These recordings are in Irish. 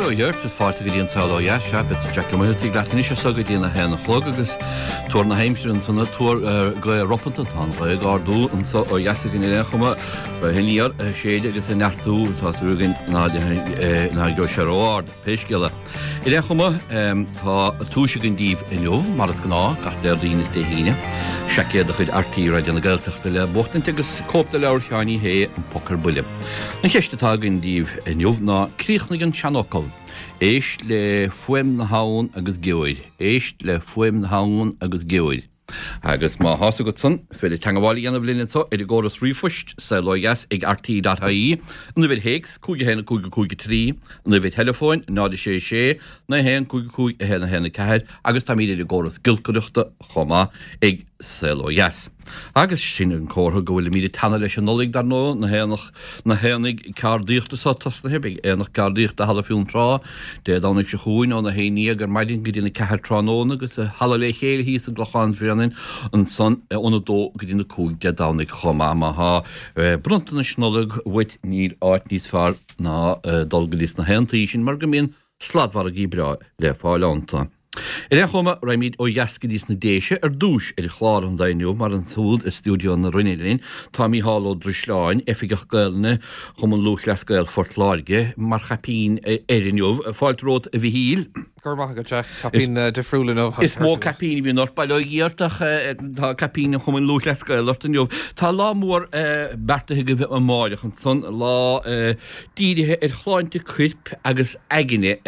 Ó Dheart is fáilte go dtí an Saol Ó Dheas, sea, beidh Jack Ó Muircheartaigh leat anois as so go dtí an 1 a chlog agus tuar na haimsire ansan, tuar gaoth ropanta, tá an ghaoth ag ardú anso ó dheas againn ar aon chuma, gaoth aniar ag séideadh agus ag neartú, tá súil againn ná gheobhaidh sé ró-ard, pé scéal é. Ar aon chuma, tá duais againn daoibh inniu, mar is gnáth, gach Déardaoin is Dé hAoine, seaicéad de chuid RTÉ Raidió na Gaeltachta le buachtaint agus cóip de leabhar Sheáin Uí Shé, An Poc ar Buile. An cheist atá againn daoibh inniu ná, críochnaigh an seanfhocal, Éist le fuaim na habhann agus gheobhair. Éist le fuaim na habhann agus gheobhair. Agus má thá's agat san, is féidir teangabháil a dhéanamh linn anso ar an gcóras ríomhphoist, saolodheas ag rte.ie, an uimhir théacs, 5 1 5 5 3, an uimhir theileafóin, 0 6 6 9 1 5 5 1 1 4, agus táimid ar an gcóras giolcaireachta chomh maith ag Saol Ó Dheas. Agus sin an comhartha go bhfuilimid ag teannadh leis an Nollaig, dar ndóigh, na haonach, na haonaigh ceardaíochta so tosnaithe, beidh Aonach Ceardaíochta Halla Fionntrá Dé Domhnaigh seo chugainn óna 11 ar maidin go dtí'n 4 tráthnóna agus i Halla Le Chéile thíos i gClochán Bhréanainn ansan óna 2 go dtí'n 5 Dé Domhnaigh chomh maith. Má thá bronntanais Nollag uait níl áit níos fearr ná dul go dtí sna haontaí sin mar go mbíonn sladmhargaí breá le fáil iontu. Ar aon chuma, raghaimid ó dheas go dtí sna Déise ar dtúis ar chlár an lae inniu mar ansúd i stiúideo na Rinne linn tá Mícheál Ó Drisleáin, Oifigeach Gaelainne Chumann Lúthchleas Gael Phort Láirge, mar chaipín air inniu. Fáilte romhat a Mhichíl. Go raibh maith agat, Jack. Caipín difriúil inniu. Is mó caipín a bhíonn ort, bail ó Dhia ort, ach tá caipín an Chumainn Lúthchleas Gael ort inniu. Tá lá mór beartaithe agaibh amáireach ansan, lá dírithe ar shláinte coirp agus aigne.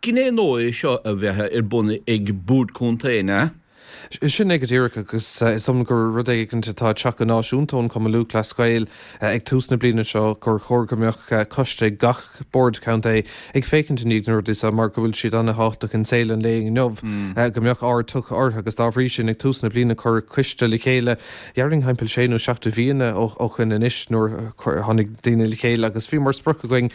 Gné nua é seo a bheith ar bun ag Bord Contae, an ea? Sin é go díreach agus is dóigh liom gur rud éigin atá ag teacht go náisiúnta ón Chumann Lúthchleas Gael ag tús na bliana seo gur chóir go mbeadh coiste ag gach Bord Contae ag féachaint i ndiaidh na rudaí seo mar go bhfuil siad ana-thábhachtach in saol an lae inniu, go mbeadh aird tugtha orthu agus dá bhrí sin ag tús na bliana cuireadh coiste le chéile Déarfainn thimpeall sé nó seacht de mhíonna ó shoin anois nuair a tháinig daoine le chéile agus bhí mar sprioc againn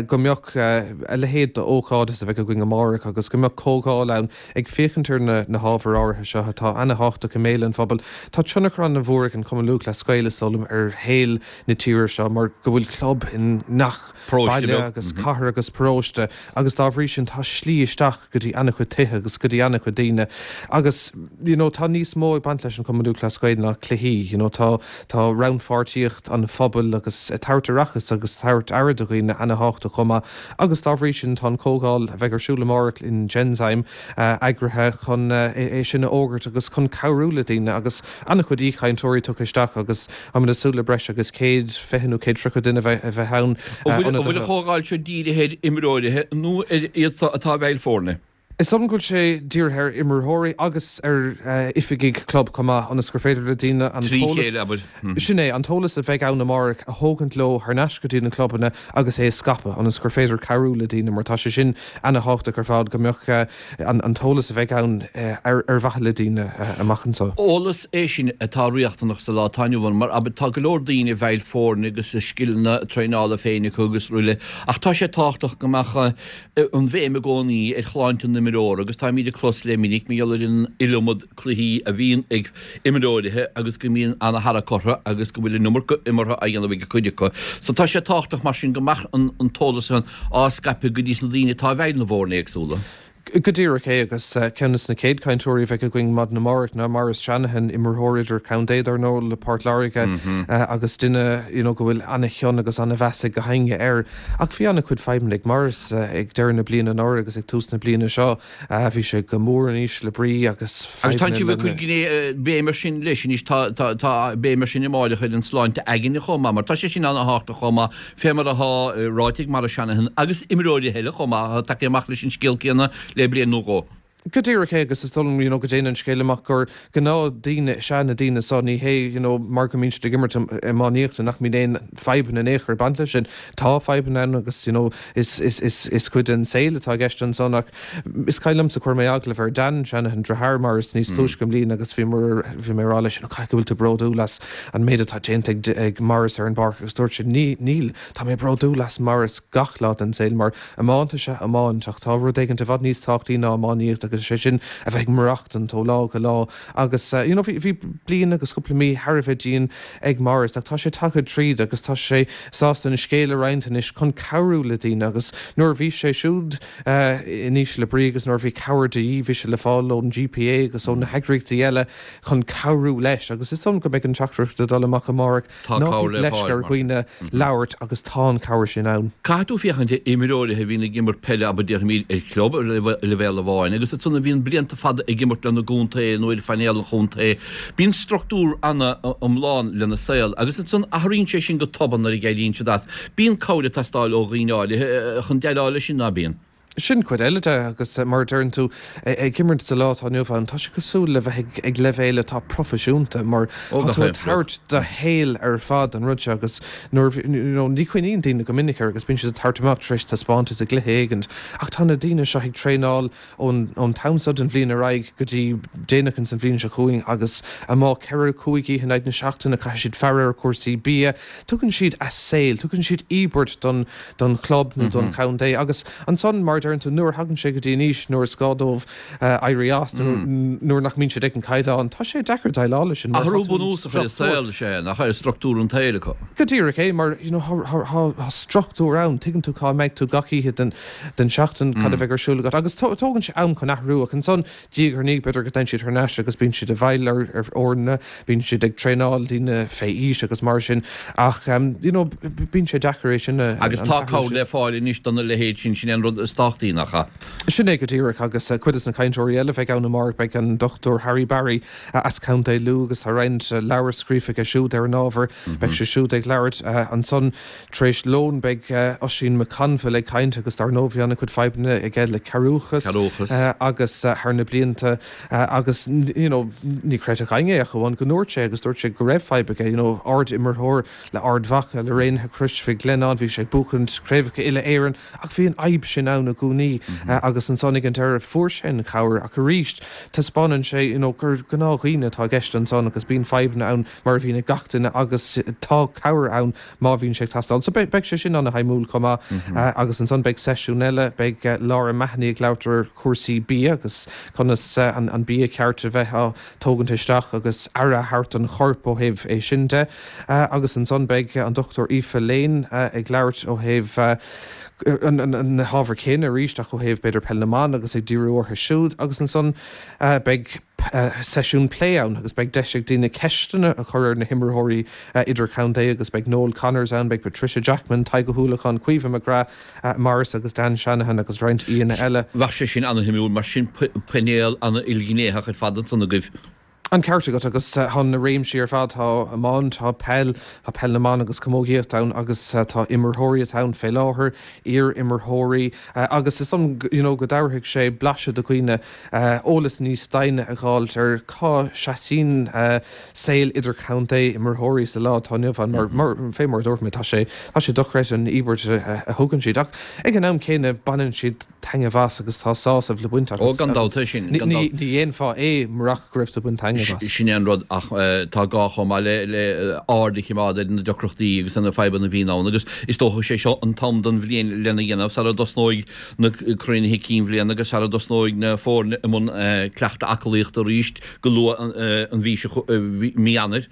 go mbeadh a leithéid d'ócáid is a bheidh againn amárach agus go mbeadh comhdháil ann ag féachaint ar na hábhair áirithe seo atá ana-thábhachtach i mbéal an phobail. Tá tionchar ana-mhór ag an Chumann Lúthchleas Gael is dóigh liom ar shaol na tíre seo mar go bhfuil club i ngach baile agus cathair agus paróiste agus dá bhrí sin tá slí isteach go dtí ana-chuid tithe agus go dtí ana-chuid daoine agus you know tá níos mó ag baint leis an Chumann Lúthchleas Gael ná cluichí, you know tá tá rannpháirtíocht an phobail agus ag tabhairt aireachas agus tabhairt aire do dhaoine ana-thábhachtach chomh maith agus dá bhrí sin tá an comhdháil a bheidh ar siúl amárach in Genzyme eagraithe chun é sin a fhógairt agus chun cabhrú le daoine agus ana-chuid aoichainteoirí tugtha isteach agus Táimid ag súil le breis agus 120 nó 130 duine a bheith ann. An bhfuil an chomhdháil seo dírithe ar imreoirithe nó ar iad so atá i bhfeighil foirne? Is dóigh liom go bhfuil sé dírithe ar imreoirí agus ar oifigigh club chomh maith, ionas gur féidir le daoine an t-eolas, sin é, an t-eolas a bheidh ann amárach a thógaint leo thar n-ais go dtí na clubanna agus é a scaipeadh, ionas gur féidir cabhrú le daoine, mar tá sé sin ana-thábhachtach ar fad, go mbeadh an t-eolas a bheidh ann ar mhaithe le daoine amach anseo. Eolas é sin atá riachtanach sa lá atá inniu ann mar abair tá go leor daoine i bhfeighil foirne agus a scileanna traenála féin acu agus araile ach tá sé tábhachtach go mbeadh an bhéim i gcónaí ar shláinte an imreora agus táimid ag clos le minic mar gheall ar an iliomad cluichí a bhíonn ag imreoirithe agus go mbíonn ana-tharrac orthu agus go bhfuil an iomarca imeartha á dhéanamh ag cuid acu. So tá sé tábhachtach mar sin go mbeadh an t-eolas san á scaipeadh go dtí sna daoine atá i bhfeighil na bhfoirne éagsúla. Go díreach é agus ceann de na chéad chainteoirí a bheidh againn maidin amárach ná Maurice Shanahan, imreoir idir-chontae dar ndóigh le Port Láirge agus duine you know go bhfuil ana-chion agus ana-mheas ag gach éinne air. Ach bhí ana-chuid fadhbanna ag Maurice ag deireadh na bliana anuraidh agus ag tús na bliana seo. Bhí sé go mór in ísle brí agus Agus tá sibh ag cur gné béim air sin leis anois, tá tá tá béim air sin amáireach ar an sláinte aigne chomh maith, mar tá sé sin ana-thábhachtach chomh maith, fé mar atá ráite ag Maurice Shanahan agus imreoirí eile chomh maith atá tagtha amach leis an scéal céanna le bliain nó dhó. Go díreach é agus is dóigh liom you know go dtéann an scéal amach gur gnáthdhaoine is ea na daoine so, ní hé you know mar go mbíonn siad ag imirt iománaíochta nach mbíonn aon fadhbanna in aon chor ag baint leis sin. Tá fadhbanna ann agus you know is is is is cuid den saol atá i gceist ansan ach is cuimhin liomsa chuir mé agallamh ar Dan Shanahan, deartháir Maurice níos túisce i mbliana agus bhí mar bhí mé ag rá leis you know caithfidh go bhfuil tú bródúil as an méid atá déanta ag ag Maurice ar an bpáirc agus dúirt sé ní níl tá mé bródúil as Maurice gach lá den saol mar iomáint is ea iomáint ach tá rud éigin i bhfad níos tábhachtaí ná iománaíocht agus. agus sé sin a bheith ag maireachtaint ó lá go lá agus you know bhí bhí bliain agus cúpla mí thar a bheith dian ag Maurice ach tá sé tagtha tríd agus tá sé sásta an scéal a roinnt anois chun cabhrú le daoine agus nuair a bhí sé siúd in ísle brí agus nuair a bhí cabhair de dhíth bhí sé le fáil ón GPA agus ó na heagraíochtaí eile chun cabhrú leis agus is dóigh liom go mbeidh an teachtaireacht ag dul amach amárach Tá Ná cabhair bíodh le leisce fáil, ar mar sin. dhaoine labhairt agus tá an cabhair sin ann. Caithfidh tú féachaint ar imreoirithe a bhíonn ag imirt peile, abair déarfaimid, ar chlub ar leibhéal amháin agus ansan a bhíonn blianta fada ag imirt lena gcontae nó ar phainéal an chontae. Bíonn struchtúr ana-iomlán lena saol agus ansan athraíonn sé sin go tobann nuair a éiríonn siad as. Bíonn cabhair ag teastáil ó dhaoine áirithe chun déileáil leis sin, ná bíonn? Sin cuid eile de agus mar a deireann tú, ag imirt sa lá atá inniu ann, tá sé cosúil le bheith ag leibhéal atá proifisiúnta mar tá tú ag tabhairt do shaol ar fad don rud seo agus nuair, you know, ní chuimhníonn daoine go minic air agus bíonn siad ag tabhairt amach tar éis taispeántas i gcluiche éigint ach tá na daoine seo ag traenáil ón ón t-am seo den bhliain ar aghaidh go dtí déanach ins an bhliain seo chugainn agus amuigh 4, 5 oíche in aghaidh na seachtaine, caithfidh siad faire ar chúrsaí bia, tugann siad a saol, tugann siad íobairt don don chlub nó don chontae agus ansan, mar a deireann tú, nuair a thagann sé go dtí an aois nuair is gá dóibh éirí as nó nuair nach mbíonn siad ag an caighdeán, tá sé deacair déileáil leis sin mar Athrú bunúsach ar a saol is ea é, nach ar struchtúr an tsaoil acu. Go díreach é, mar you know tá struchtúr ann, tuigeann tú cá mbeidh tú gach oíche den den seachtain, cad a bheidh ar siúl agat agus tógann sé am chun athrú ach ansan Diaidh ar ndiaidh, b'fhéidir go dtéann siad thar n-ais agus bíonn siad i bhfeighil ar fhoirne, bíonn siad ag traenáil daoine fé aois agus mar sin ach you know bíonn sé deacair é sin a, Agus an tá t-athrú cabhair sin. le fáil anois do na leithéid sin, sin é an rud is tábhachtaí, nach ea? Sin é go díreach agus cuid des na cainteoirí eile a bheidh ann amárach beidh an Dr Harry Barry as Contae Lú agus tá roinnt leabhar scríofa aige siúd ar an ábhar, beidh sé siúd ag labhairt ansan. Tar éis lóin beidh Oisín McConville ag caint agus dar ndóigh bhí an-chuid fadhbanna aige le cearrbhachas agus thar na blianta agus you know ní chreidfeadh éinne é ach amháin go ndúirt sé agus dúirt sé go raibh fadhb aige you know ard-imreoir le Ard Mhacha, le Raonaithe Chrois Mhic Lionnáin, bhí sé ag buachaint craobhacha uile-Éireann ach bhí an fhadhb sin ann i gcónaí agus ansan ag an deireadh fuair sé an chabhair ach arís taispeánann sé you know gur gnáthdhaoine atá i gceist ansan agus bíonn fadhbanna ann mar a bhíonn ag gach duine agus tá cabhair ann má bhíonn sé ag teastáil. So beidh sé sin ana-shuimiúil chomh maith agus ansan beidh seisiún eile, beidh Laura Mahony ag labhairt ar chúrsaí bia agus conas an bia ceart a bheith á tógaint isteach agus aire a thabhairt don chorp ó thaobh é sin de. Agus ansan beidh an Dr Aoife Lane ag labhairt ó thaobh na hábhair céanna arís ach ó thaobh b'fhéidir peil na mban agus ag díriú orthu siúd agus ansan beidh seisiún plé ann agus beidh deis ag daoine ceisteanna a chur ar na himreoirí idirchontae agus beidh Noel Connors ann, beidh Patricia Jackman, Tadhg Ó hUallacháin, Caoimhe McGrath, Maurice agus Dan Shanahan agus roinnt aíonna eile. Bheadh sé sin ana-shuimiúil mar sin painéal ana-ilghnéitheach ar fad ansan agaibh. An ceart agat agus tá na réimsí ar fad, tá iomáint, tá peil, tá peil na mban agus camógaíocht ann agus tá imreoirí atá ann fé láthair, iar-imreoirí agus is dóigh liom you know go dtabharfaidh sé blaiseadh do dhaoine eolas níos doimhne a dh'fháilt ar cá seasaíonn saol idirchontae imreoirí sa lá atá inniu ann mar, mar, fé mar a dúirt mé, tá sé, tá sé dochreidte an íobairt a thugann siad ach ag an am céanna baineann siad taitneamh as agus tá sásamh le baint as Ó, gan dabht é sin, gan dabht. Ní dhéanfá é murach go raibh tú ag baint taitneamh as. Sin é an rud ach tá gá chomh maith le, le aird a choimeád ar na deacrachtaí agus ar na fadhbanna a bhíonn ann agus is dócha sé seo an t-am den bhliain lena dhéanamh sara dtosnóidh na cruinnithe cinn bhliana agus sara dtosnóidh na foirne i mbun cleachtadh aclaíochta arís go luath an mhí seo, mí Eanáir.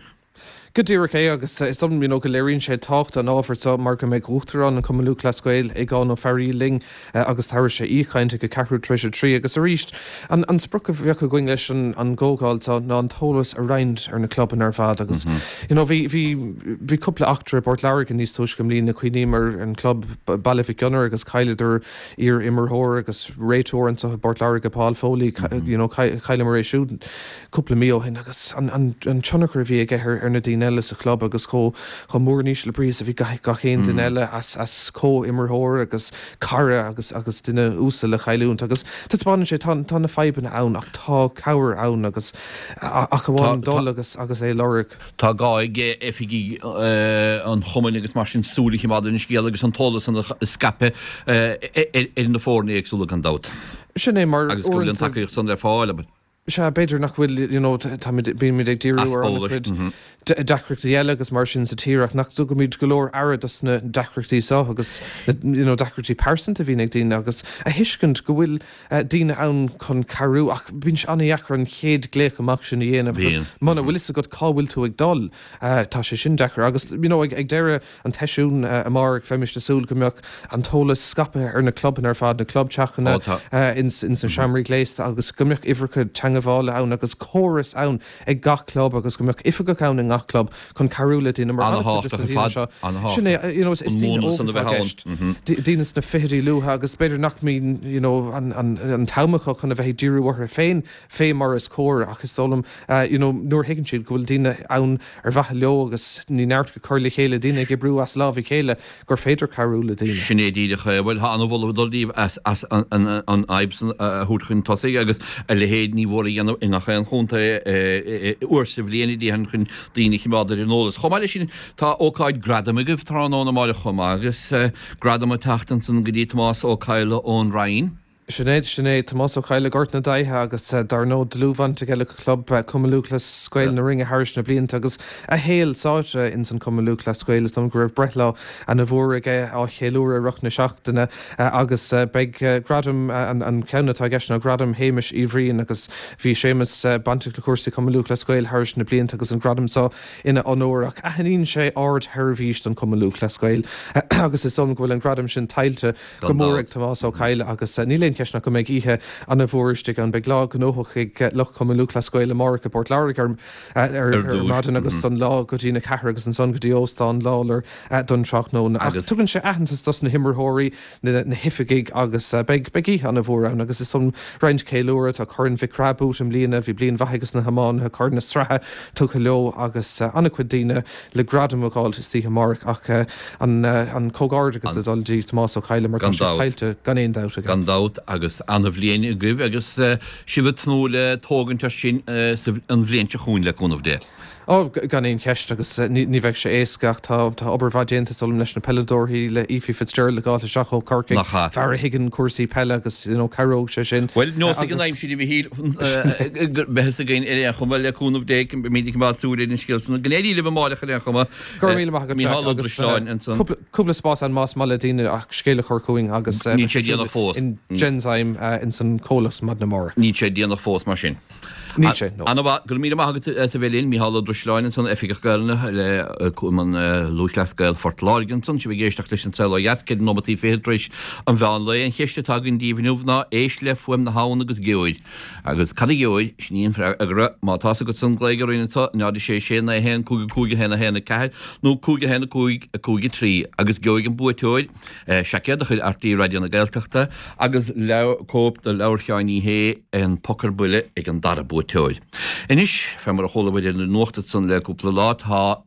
Go díreach é agus is dóigh liom you know go léiríonn sé tábhacht an ábhair seo mar go mbeidh Uachtarán an Chumann Lúthchleas Gael, Aogán Ó Fearghaíl linn agus tabharfaidh sé aoichaint ag a ceathrú tar éis a 3 agus arís an an sprioc a bheadh againn leis an an gcomhdháil seo ná an t-eolas a roinnt ar na clubanna ar fad agus you know bhí bhí bhí cúpla eachtra i bPort Láirge níos túisce i mbliana cuimhním ar an club Baile Mhic Gonair agus chailleadar iar-imreoir agus réiteoir anseo i bPort Láirge Paul Foley you know chailleamar é siúd cúpla mí ó shin agus an tionchar a bhí aige ar na daoine eile sa chlub agus chomh mór in ísle brí is a bhí gach aon duine eile as comhimreoir agus cara agus agus duine uasal a chailliúint agus taispeánann sé tá tá na fadhbanna ann ach tá cabhair ann agus ach amháin dul agus agus é a lorg. Tá gá ag oifigigh an chumainn agus mar sin súil a choimeád ar an scéal agus an t-eolas san a scaipeadh ar na foirne éagsúla gan dabht. Sin é mar Agus go bhfuil an tacaíocht san le fáil, abair. Sea, b'fhéidir nach bhfuil, you know, táimid, bímid ag díriú ar an-chuid deacrachtaí eile agus mar sin sa tír ach nach dtugaimid go leor aire dos na deacrachtaí seo agus na, you know, deacrachtaí pearsanta a bhíonn ag daoine agus a thuiscint go bhfuil daoine ann chun cabhrú ach bíonn sé an-dheacair an chéad glaoch amach sin a dhéanamh agus muna bhfuil fhios agat cá bhfuil tú ag dul, tá sé sin deacair agus, you know, ag deireadh an tseisiúin amárach, bheimist ag súil go mbeadh an t-eolas scaipthe ar na clubanna ar fad, na clubteachanna, ins na seomraí gléasta agus go mbeadh uimhreacha teangmhála ann agus córas ann ag gach club agus go mbeadh oifigeach ann i ngach club chun cabhrú le daoine mar an-chuid de na daoine seo, sin é, you know, is daoine óga atá i gceist, daoine sna fichidí luatha agus b'fhéidir nach mbíonn, you know, an t-am acu chun a bheith ag díriú orthu féin fé mar is cóir ach is dóigh liom, you know, nuair a thuigeann siad go bhfuil daoine ann ar mhaithe leo agus ní neart go cur le chéile, daoine ag oibriú as lámh a chéile, gur féidir cabhrú le daoine. Sin é díreach é. Bhuel, tá an-mholadh ag dul daoibh as as an an fhadhb san a thabhairt chun tosaigh agus a leithéid ní mhór a dhéanamh i ngach aon chontae uair sa bhliain a déarfainn chun daoine a choimeád ar an eolas. Chomh maith leis sin, tá ócáid gradaim agaibh tráthnóna amáireach chomh maith agus gradam ag teacht ansan go dtí Tomás Ó Cadhla ón Rinn. Sin é, sin é. Tomás Ó Cadhla, Gort na Daighthe agus dar ndóigh dlúthbhaint aige le Club Cumann Lúthchleas Gael na Rinne thairis na blianta agus a shaol sáite ins an Cumann Lúthchleas Gael. Is dóigh liom go raibh breithlá ana mhór aige á cheiliúradh i rith na seachtaine agus beidh gradam, an ceann atá i gceist ná Gradam Shéamais Uí Bhriain agus bhí Séamus bainteach le cúrsaí Cumann Lúthchleas Gael thairis na blianta agus an gradam seo ina onóir ach aithníonn sé ardsheirbhís don Cumann Lúthchleas Gael agus is dóigh liom go bhfuil an gradam sin tuillte go mór ag Tomás Ó Cadhla agus níl aon cheist ach go mbeidh oíche ana mhór istigh ann. Beidh lá gnóthach ag lucht Chumann Lúthchleas Gael amárach i bPort Láirge ar ar maidin agus don lá go dtí na ceathair agus ansan go dtí Óstán Lawlor don tráthnóna. Ach tugann sé aitheantas dos na himreoirí, na na hoifigigh agus beidh beidh oíche ana mhór ann agus is dóigh liom roinnt ceiliúradh. Tá Corn Mhic Craith buaite i mbliana, bhí bliain mhaith ages na hiománaithe, Corn na Sraithe tugtha leo agus ana chuid daoine le gradam a dh'fháilt istoíche amárach ach an comhghairdeachas le dul dtí Tomás Ó Cadhla mar tá sé tuillte gan aon dabht aige. Gan dabht agus ana-bhliain agaibh agus sibh ag tnúth le tógaint air sin an bhliain seo chugainn le cúnamh Dé. Ó, gan aon cheist agus ní bheidh sé éasca ach tá obair mhaith déanta is dóigh liom leis na peileadóirí, le Ephie Fitzgerald a dh'fháilt isteach ó Chorcaigh, fear a thuigeann cúrsaí peile agus you know cabhróidh sé sin. Bhuel, nós ag an aimsir a Mhichíl, beidh fhios againn ar aon chuma le cúnamh Dé, beimid ag coimeád súil ar an scéal san. Go n-éirí libh amáireach ar aon chuma. Go raibh míle maith agat Jack Mícheál Ó Drisleáin ansan. Cúpla spás ann más maith le daoine ach scéal a chur chugainn agus Níl sé déanach fós. in Genzyme ins an comhlacht maidin amárach. Níl sé déanach fós mar sin. Níl sé, no. Ana mhaith. Go raibh míle maith agat as a bheith linn, Mícheál Ó Drisleáin ansan, Oifigeach Gaelainne le Cumann Lúthchleas Gael Phort Láirge ansan. Sibh ag éisteacht leis An Saol Ó Dheas, 4 nóimeataí fichead tar éis an mheán lae. An cheist atá againn daoibh inniu ná, éist le fuaim na habhann agus gheobhair. Agus cad a gheobhair? Sin í an freagra. Má tá's agat san, glaoigh orainn anso, 0 6 6 9 1 5 5 1 1 4 nó 5 1 5 5 3 agus gheobhaidh an buaiteoir Seaicéad de chuid RTÉ Raidió na Gaeltachta agus cóip de leabhar Sheáin Uí Shé, An Poc ar Buile, ag an dara buaiteoir. Anois, fé mar a chuala bhur ar an nuacht ansan le cúpla lá, tá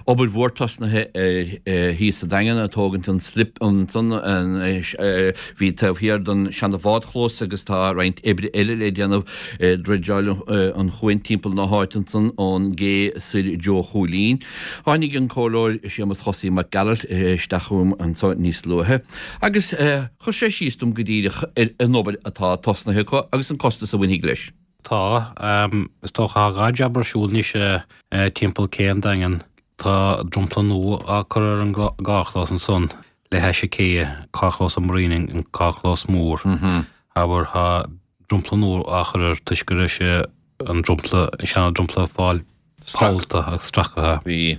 obair mhór tosnaithe ar thíos sa Daingean ag tógaint an slip ansan a bhí taobh thiar den seana bhádchlós agus tá roinnt oibre eile le déanamh ag dredgeáil an chuain timpeall na háite ansan ón gcé soir i dtreo Chúilín. Tháinig an Comhairleoir Séamus Chosaí Mac Gearailt isteach chugam anso níos luaithe agus chuir sé síos dom go díreach ar an obair atá tosnaithe acu agus an costas a bhainfidh leis. Tá. Is dócha tá dhá jab ar siúl anois timpeall cé an Daingin. Tá dromchla nua á cur ar an gcarrchlós ansan le hais an cé, carrchlós an Marine, an carrchlós mór. Abair, tá dromchla nua á chur air toisc go raibh sé an dromchla, an seana dromchla ag fáil pollta agus stracaithe. Bhí.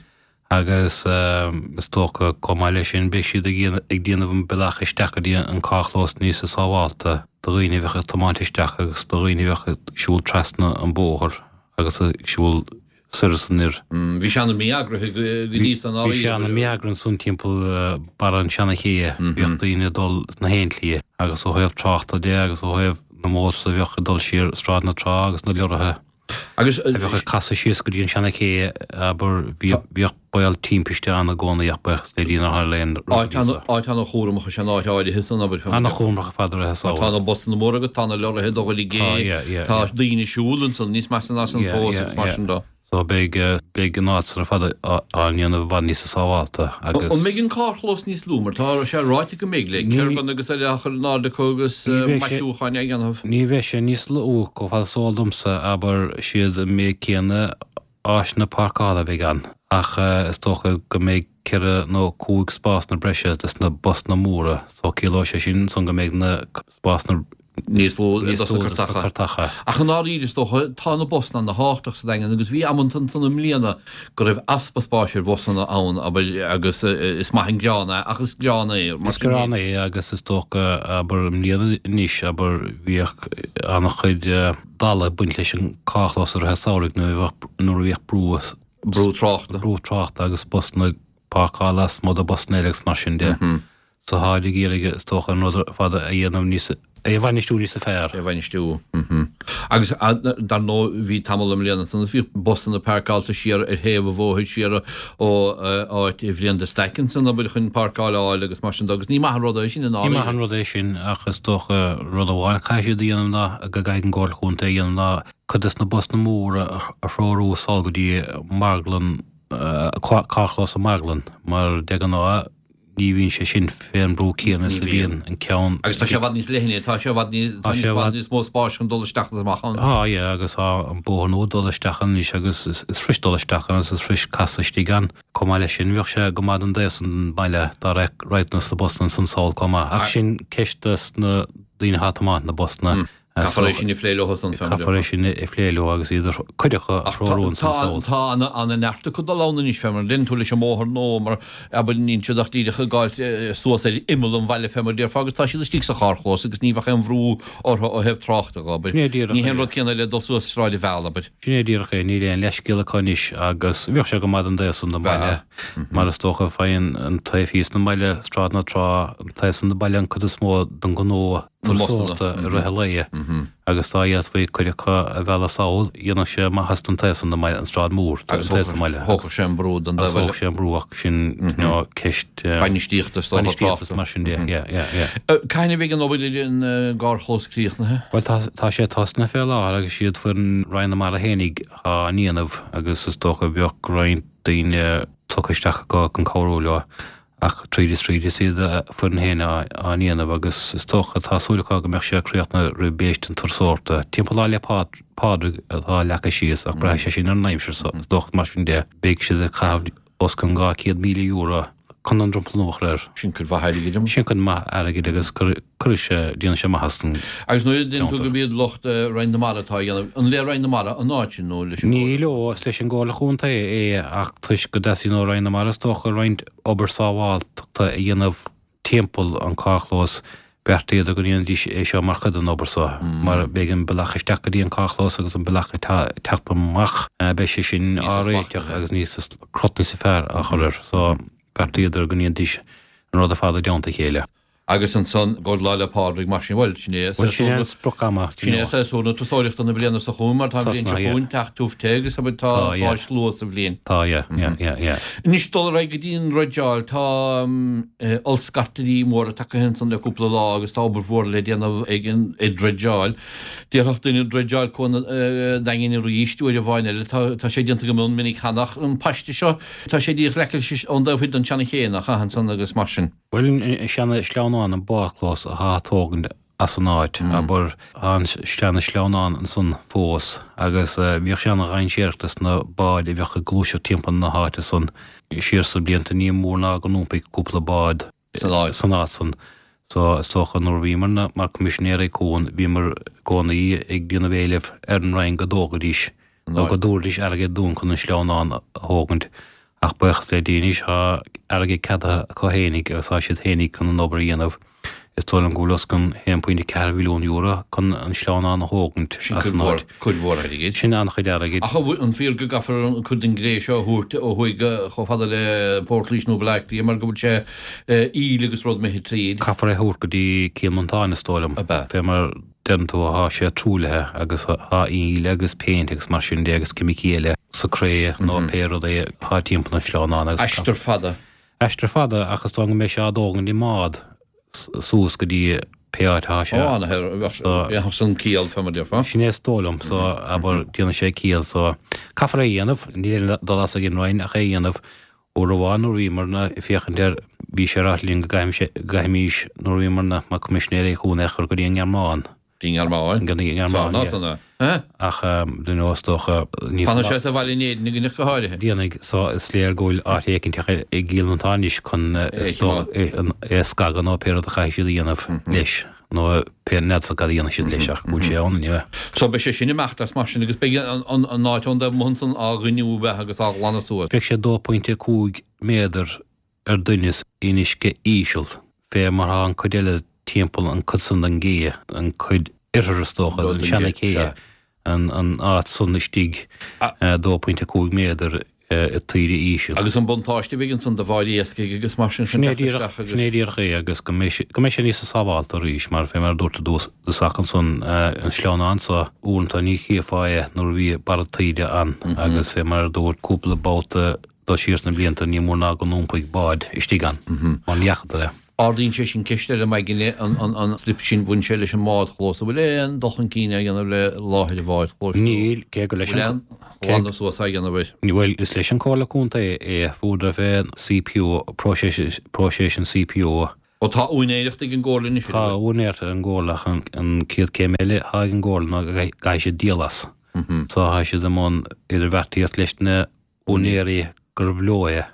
Agus is dócha, chomh maith leis sin, beidh siad ag déanamh an bealach isteach go dtí an carrchlós níosa sábhálta do dhaoine a bheadh ag tiomáint isteach agus do dhaoine a bheadh ag siúl trasna an bóthar agus ag siúl soir is anoir. Bhí sé ana mí-eagraithe go dtí san Bhí sé ana mí-eagraithe ansan timpeall barra an seana chéidhe. Bhíodh daoine ag dul sna haon tslí agus ó thaobh tráchta de agus ó thaobh na mótars a bheadh ag dul siar Sráid na Trá agus na leoraithe. Agus. A bheadh ag casadh síos go dtí an seana ché, abair, bhíodh baol timpiste ann i gcónaí ach buíochas le Dia nár tharla aon rud go dtí seo. Áit ana-chúramach is ea an áit áirithe san, abair. Ana-chúramach ar fad i rith an samhradh. Tá na busanna móra agat, tá na leoraithe ag dul i gcé, tá daoine ag siúl ansan, níos measa ná san fós agus mar sin de. So beidh, beidh an áit san ar fad á ndéanamh i bhfad níosa sábhálta agus. An mbeidh an carrchlós níos lú mar tá sé ráite go mbeidh, le kerbanna agus eile á chur in airde acu agus maisiúcháin á dhéanamh? Ní bheidh sé níos lú, chomh fada is eol domsa, abair, siad an méid céanna áiseanna páirceála a bheidh ann ach is dócha go mbeidh ceithre nó cúig spásanna breise dos na busanna móra so ciallóidh sé sin ansan go mbeidh na spásanna níos lú dos na cairteacha. Ach i ndáiríre, is dócha, tá na busanna ana thábhachtach sa Daingean agus bhí amanta ansan i mbliana go raibh easpa spáis ar bhusanna ann, abair, agus is maith an greann é, ach is greann é, mar sin. Is greann é agus is dócha, abair, i mbliana anois, abair, bhíodh an-chuid dalla ag baint leis an carrchlós i rith an samhraidh nuair a bheadh, nuair a bhíodh brú, brú tráchta. brú tráchta agus busanna ag páirceáil lasmuigh de busanna eile agus mar sin de. So táid ag iarraidh, is dócha, an rud ar fad a dhéanamh níos, é a bhainistiú níosa fearr. É a bhainistiú. Agus dar ndóigh bhí tamall i mbliana ansan is bhí busanna páirceáilte siar ar thaobh an bhóthair siar ó áit Bhriain de Staic ansan, abair, chun páirceáil a fháil agus mar sin de agus ní maith an rud é sin i ndáiríre. Ní maith an rud é sin ach is dócha rud amháin a chaithfidh siad a dhéanamh ná, go gcaithfidh an Comhairle Chontae a dhéanamh ná cuid des na busanna móra a threorú sall go dtí marglann, carrchlós an marglann mar de ghnáth Ní bhíonn sé sin fén mbrú céanna is a bhíonn an ceann. Agus tá sé i bhfad níos leithne, tá sé i bhfad níos, tá i bhfad níos mó spáis chun dul isteach is amach ann. Tá, yeah, agus tá an bóthar nua dul isteach ann anois agus is fuirist dul isteach ann agus is fuirist casadh istigh ann. Chomh maith leis sin, bheadh sé go maith don dtaobh san den bhaile dá raghadh na busanna ansan sall chomh maith. Ach sin ceist dos na daoine atá ag tiomáint na busanna. Caithfear é sin a phlé leo san, fé mar a déarfá. Caithfear é sin a phlé leo agus iad a cuid acu a threorú ansan sall. Tá ana-neart acu dul ann anois, fé mar a deireann tú, leis an mbóthar nua, mar abair, níl siad ach díreach ag gabháilt suas ar imeall an bhaile, fé mar a déarfá, agus tá siad istigh sa charrchlós agus ní bheadh aon bhrú orthu ó thaobh tráchta dhe, abair. Sin é díreach Ní hé an rud céanna le dul suas Sráid an Mheal, abair. Sin é díreach é, níl aon leithscéal acu anois agus bheadh sé go maith don dtaobh san den bhaile, mar is dócha, faigheann an taobh thíos den bhaile, Sráid na Trá, an taobh san den baile an cuid is mó den ghnó turasóireachta i rith an lae agus dá bhféadfaí cuid acu a mhealladh sall, dhéanfadh sé maitheas don taobh san den mbaile, an Sráid Mhór, an taobh san den mbaile. Thógfadh sé an brú don taobh eile. Thógfadh sé an brú ach sin you know ceist bainistíochta is dócha bainistíochta is mar sin de, yeah, yeah, yeah. Cathain a bheidh an obair ar an gcarrchlós críochnaithe? Bhuel tá tá sé tosnaithe fé láthair agus siad foireann Roinn na Mara fhéinig á ndéanamh agus is dócha bheadh roinnt daoine tugtha isteach acu chun cabhrú leo. Ach tríd is tríd is iad a foireann féin á ndéanamh agus is dócha, tá súil acu go mbeadh sé críochnaithe roimh bhéist an turasóireachta. Timpeall Lá 'le Pádraig atá leagtha síos ach braithfidh sé sin ar an aimsir so is dócha mar sin de beidh siad ag caitheamh os cionn €200,000 chun an dromchla nua a chur air. Sin cuid mhaith airgid. Sin cuid mhaith airgid agus cuirfidh sé, déanfaidh sé maitheas don Agus nuair a deireann tú gurb iad lucht Roinn na Mara atá á dhéanamh, an le Roinn na Mara an áit sin nó leis an Ní gComhairle? leo, is leis an gComhairle Chontae é ach toisc go dteastaíonn ó Roinn na Mara is dócha roinnt obair sábháilteachta a dhéanamh timpeall an carrchlós, bheartaíodar go ndéanfaidís é seo mar chuid den obair so, mar beidh an bealach isteach go dtí an carrchlós agus an bealach ag teacht amach, beidh sé sin á réiteach agus níos crot níos fearr á chur air. So bheartaíodar go ndéanfaidís an rud ar fad i dteannta a chéile. Agus ansan go Lá 'le Pádraig mar sin, bhuel, sin é Bhuel, sin é an sprioc ama, Sin é séasúr na turasóireachta na bliana seo chugainn mar tá an bhliain seo chugainn teacht tiubh te agus abair tá fáis luath sa bhliain. Tá, yeah, yeah, yeah, yeah. Anois dul ar aghaidh go dtí an dreideáil, tá ollscartairí móra tagtha ansan le cúpla lá agus tá obair mhór le déanamh ag an ag dreideáil. Déarfadh duine dreideáil Cuan an Daingin arís uair amháin eile, tá tá sé déanta go mion minic cheana ach an paiste seo tá sé díreach leaca leis ón dtaobh thoir den tseana ché nach ea ansan agus mar sin. Bhuel, an seana-shleamhnán, an bádchlós athá á tógaint as an áit, abair, tá an seana-shleamhnán ansan fós agus bhíodh sé ana-dhainséarach dos na báid a bheadh ag gluaiseacht timpeall na háite san siar sna blianta. Ní mór ná go n-iompaigh cúpla bád san áit san. So, is dócha nuair a bhíomar mar Coimisinéirí Cuain, bhíomar i gcónaí ag déanamh éilimh ar an Roinn go dtógfaidís nó go dtabharfaidís airgead dúinn chun an sleamhnán a thógaint Ach buíochas le Dia anois tá airgead ceadaithe acu fhéinig agus tá siad fhéinig chun an obair a dhéanamh. Is dóigh liom go bhfuil os cionn €1.4 mhilliún chun an sleamhnán a thógaint Sin as an áit. cuid mhór airgid. Sin an-chuid airgid. Ach an fíor go gcaithfear an cuid den gcré seo a thabhairt ó thuaidh chomh fada le Port Laoise nó Baile Átha Cliath mar go bhfuil sé íle agus rud imithe tríd? Caithfear é a thabhairt go dtí Cill Mhantáin is dóigh liom. Ab ea? Fé mar deireann tú, thá sé truaillithe agus thá íle agus péint agus mar sin de agus ceimicí eile sa cré nó pé rud é thá timpeall an sleamhnáin agus. Aistear fada. Aistear fada ach is dóigh go mbeidh sé á dtógaint i mbád suas go dtí. pé áit atá sé. Ó, ana, san ciall fé mar déarfá. Sin é is dóigh liom, so, abair, déanann sé ciall, so, caithfear é a dhéanamh, níl aon dul as ag an Roinn ach é a dhéanamh. Uair amháin nuair a bhíomarna ag féachaint air, bhí sé ráite linn go gcaithfimís, nuair a bhíomarna mar Coimisinéirí Cuain é a chur go dtí an nGearmáin. Dtí an nGearmáin? Go dtí an Ngearmáin, yeah. San ea? Eh? Ach, do you know, is dócha, ní Fanfaidh sé sa bhaile in Éirinn againn ach go háirithe. Déanfaidh, so is léir go bhfuil áit éicint i gCill Mhantáin anois chun, is dócha, é a scagadh nó pé rud a chaithfidh siad a dhéanamh leis, nó pé n'fheadsa cad a dhéanfaidh siad leis ach go bhfuil sé ann anyway. So beidh sé sin imeacht as mar sin agus beidh an áit ón dtaobh amuigh ansan á ghainniú agus á ghlanadh suas. Beidh sé 2.5 méadar ar doimhneas in uisce íseal, fé mar thá an cuid eile timpeall an cuid san den gcé, an cuid oirthir is dócha, den seana cé, an áit san istigh 2.5 méadar i taoide íseal. Agus an buntáiste a bheidh ansan do bháid iascaigh agus mar sin chun teacht isteach agus. Sin é díreach é agus go mbeidh sé, go mbeidh sé níosa sábhálta arís mar fé mar a dúirt i dtús dtosach ansan an sleamhnán so uaireanta ní chífeá é nuair a bhí barra taoide ann agus fé mar a dúirt cúpla babhta dul siar sna blianta, ní mór ná go n-iompaigh bád istigh ann, mar ní fhacadar é. Ardaíonn sé sin ceist eile, McGinley, an slip sin, bhain sé leis an mbádchlós, an bhfuil aon dul chun cinn á dhéanamh le láthair an bhádchlóis nó Níl, cé gur leis an aon ghlanadh suas á dhéanamh air? Bhuel, is leis an Comhairle Contae é, fuaireadar fé CPO, próiseas, próiseas an CPO. Ó tá úinéireacht ag an gComhairle anois air, an bhfuil? Tá úinéireacht ag an gComhairle ach an chéad céim eile atá ag an gComhairle ná go gcaithfidh siad díol as. So tá siad i mbun idirbheartaíocht leis na úinéirí gurb leo é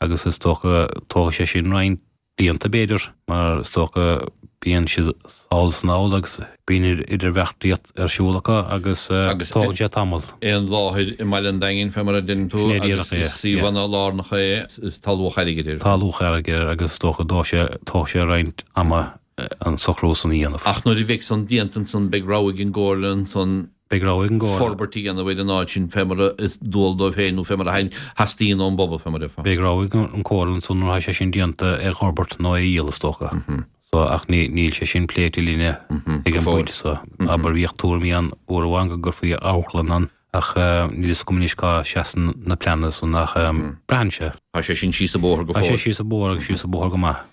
agus is dócha tógfaidh sé sin roinnt blianta b'fhéidir mar is dócha bíonn siad sall is anall agus bíonn idirbheartaíocht ar siúl acu agus tógann sé tamall. Aon láthair i mbaile an Daingin fé mar a deireann tú agus is suíomhanna lárnacha é is tá luach airgid air. Tá luach airgid air agus is dócha tógfaidh sé roinnt ama an socrú san a dhéanamh. Ach nuair a bheidh san déanta ansan beidh rogha ag an gComhairle ansan Beidh rogha ag an gComhairle. forbairt a dhéanamh ar an áit sin fé mar is dual dóibh féin nó fé mar a theastaíonn ón bpobal, fé mar a déarfá. Beidh rogha ag an Chomhairle ansan nuair atá sé sin déanta é a dh'fhorbairt nó é a dhíol is dócha. So, ach ní, níl sé sin pléite linne ag an bpointe so. Abair, bhíodh tuairimí ann uair amháin go gcuirfí amharclann ann ach níl fhios agam anois cá seasann na pleananna san ach braitheann sé. Tá sé sin síos an bóthar go fóill. Tá sé síos an bóthar agus síos an bóthar go maith.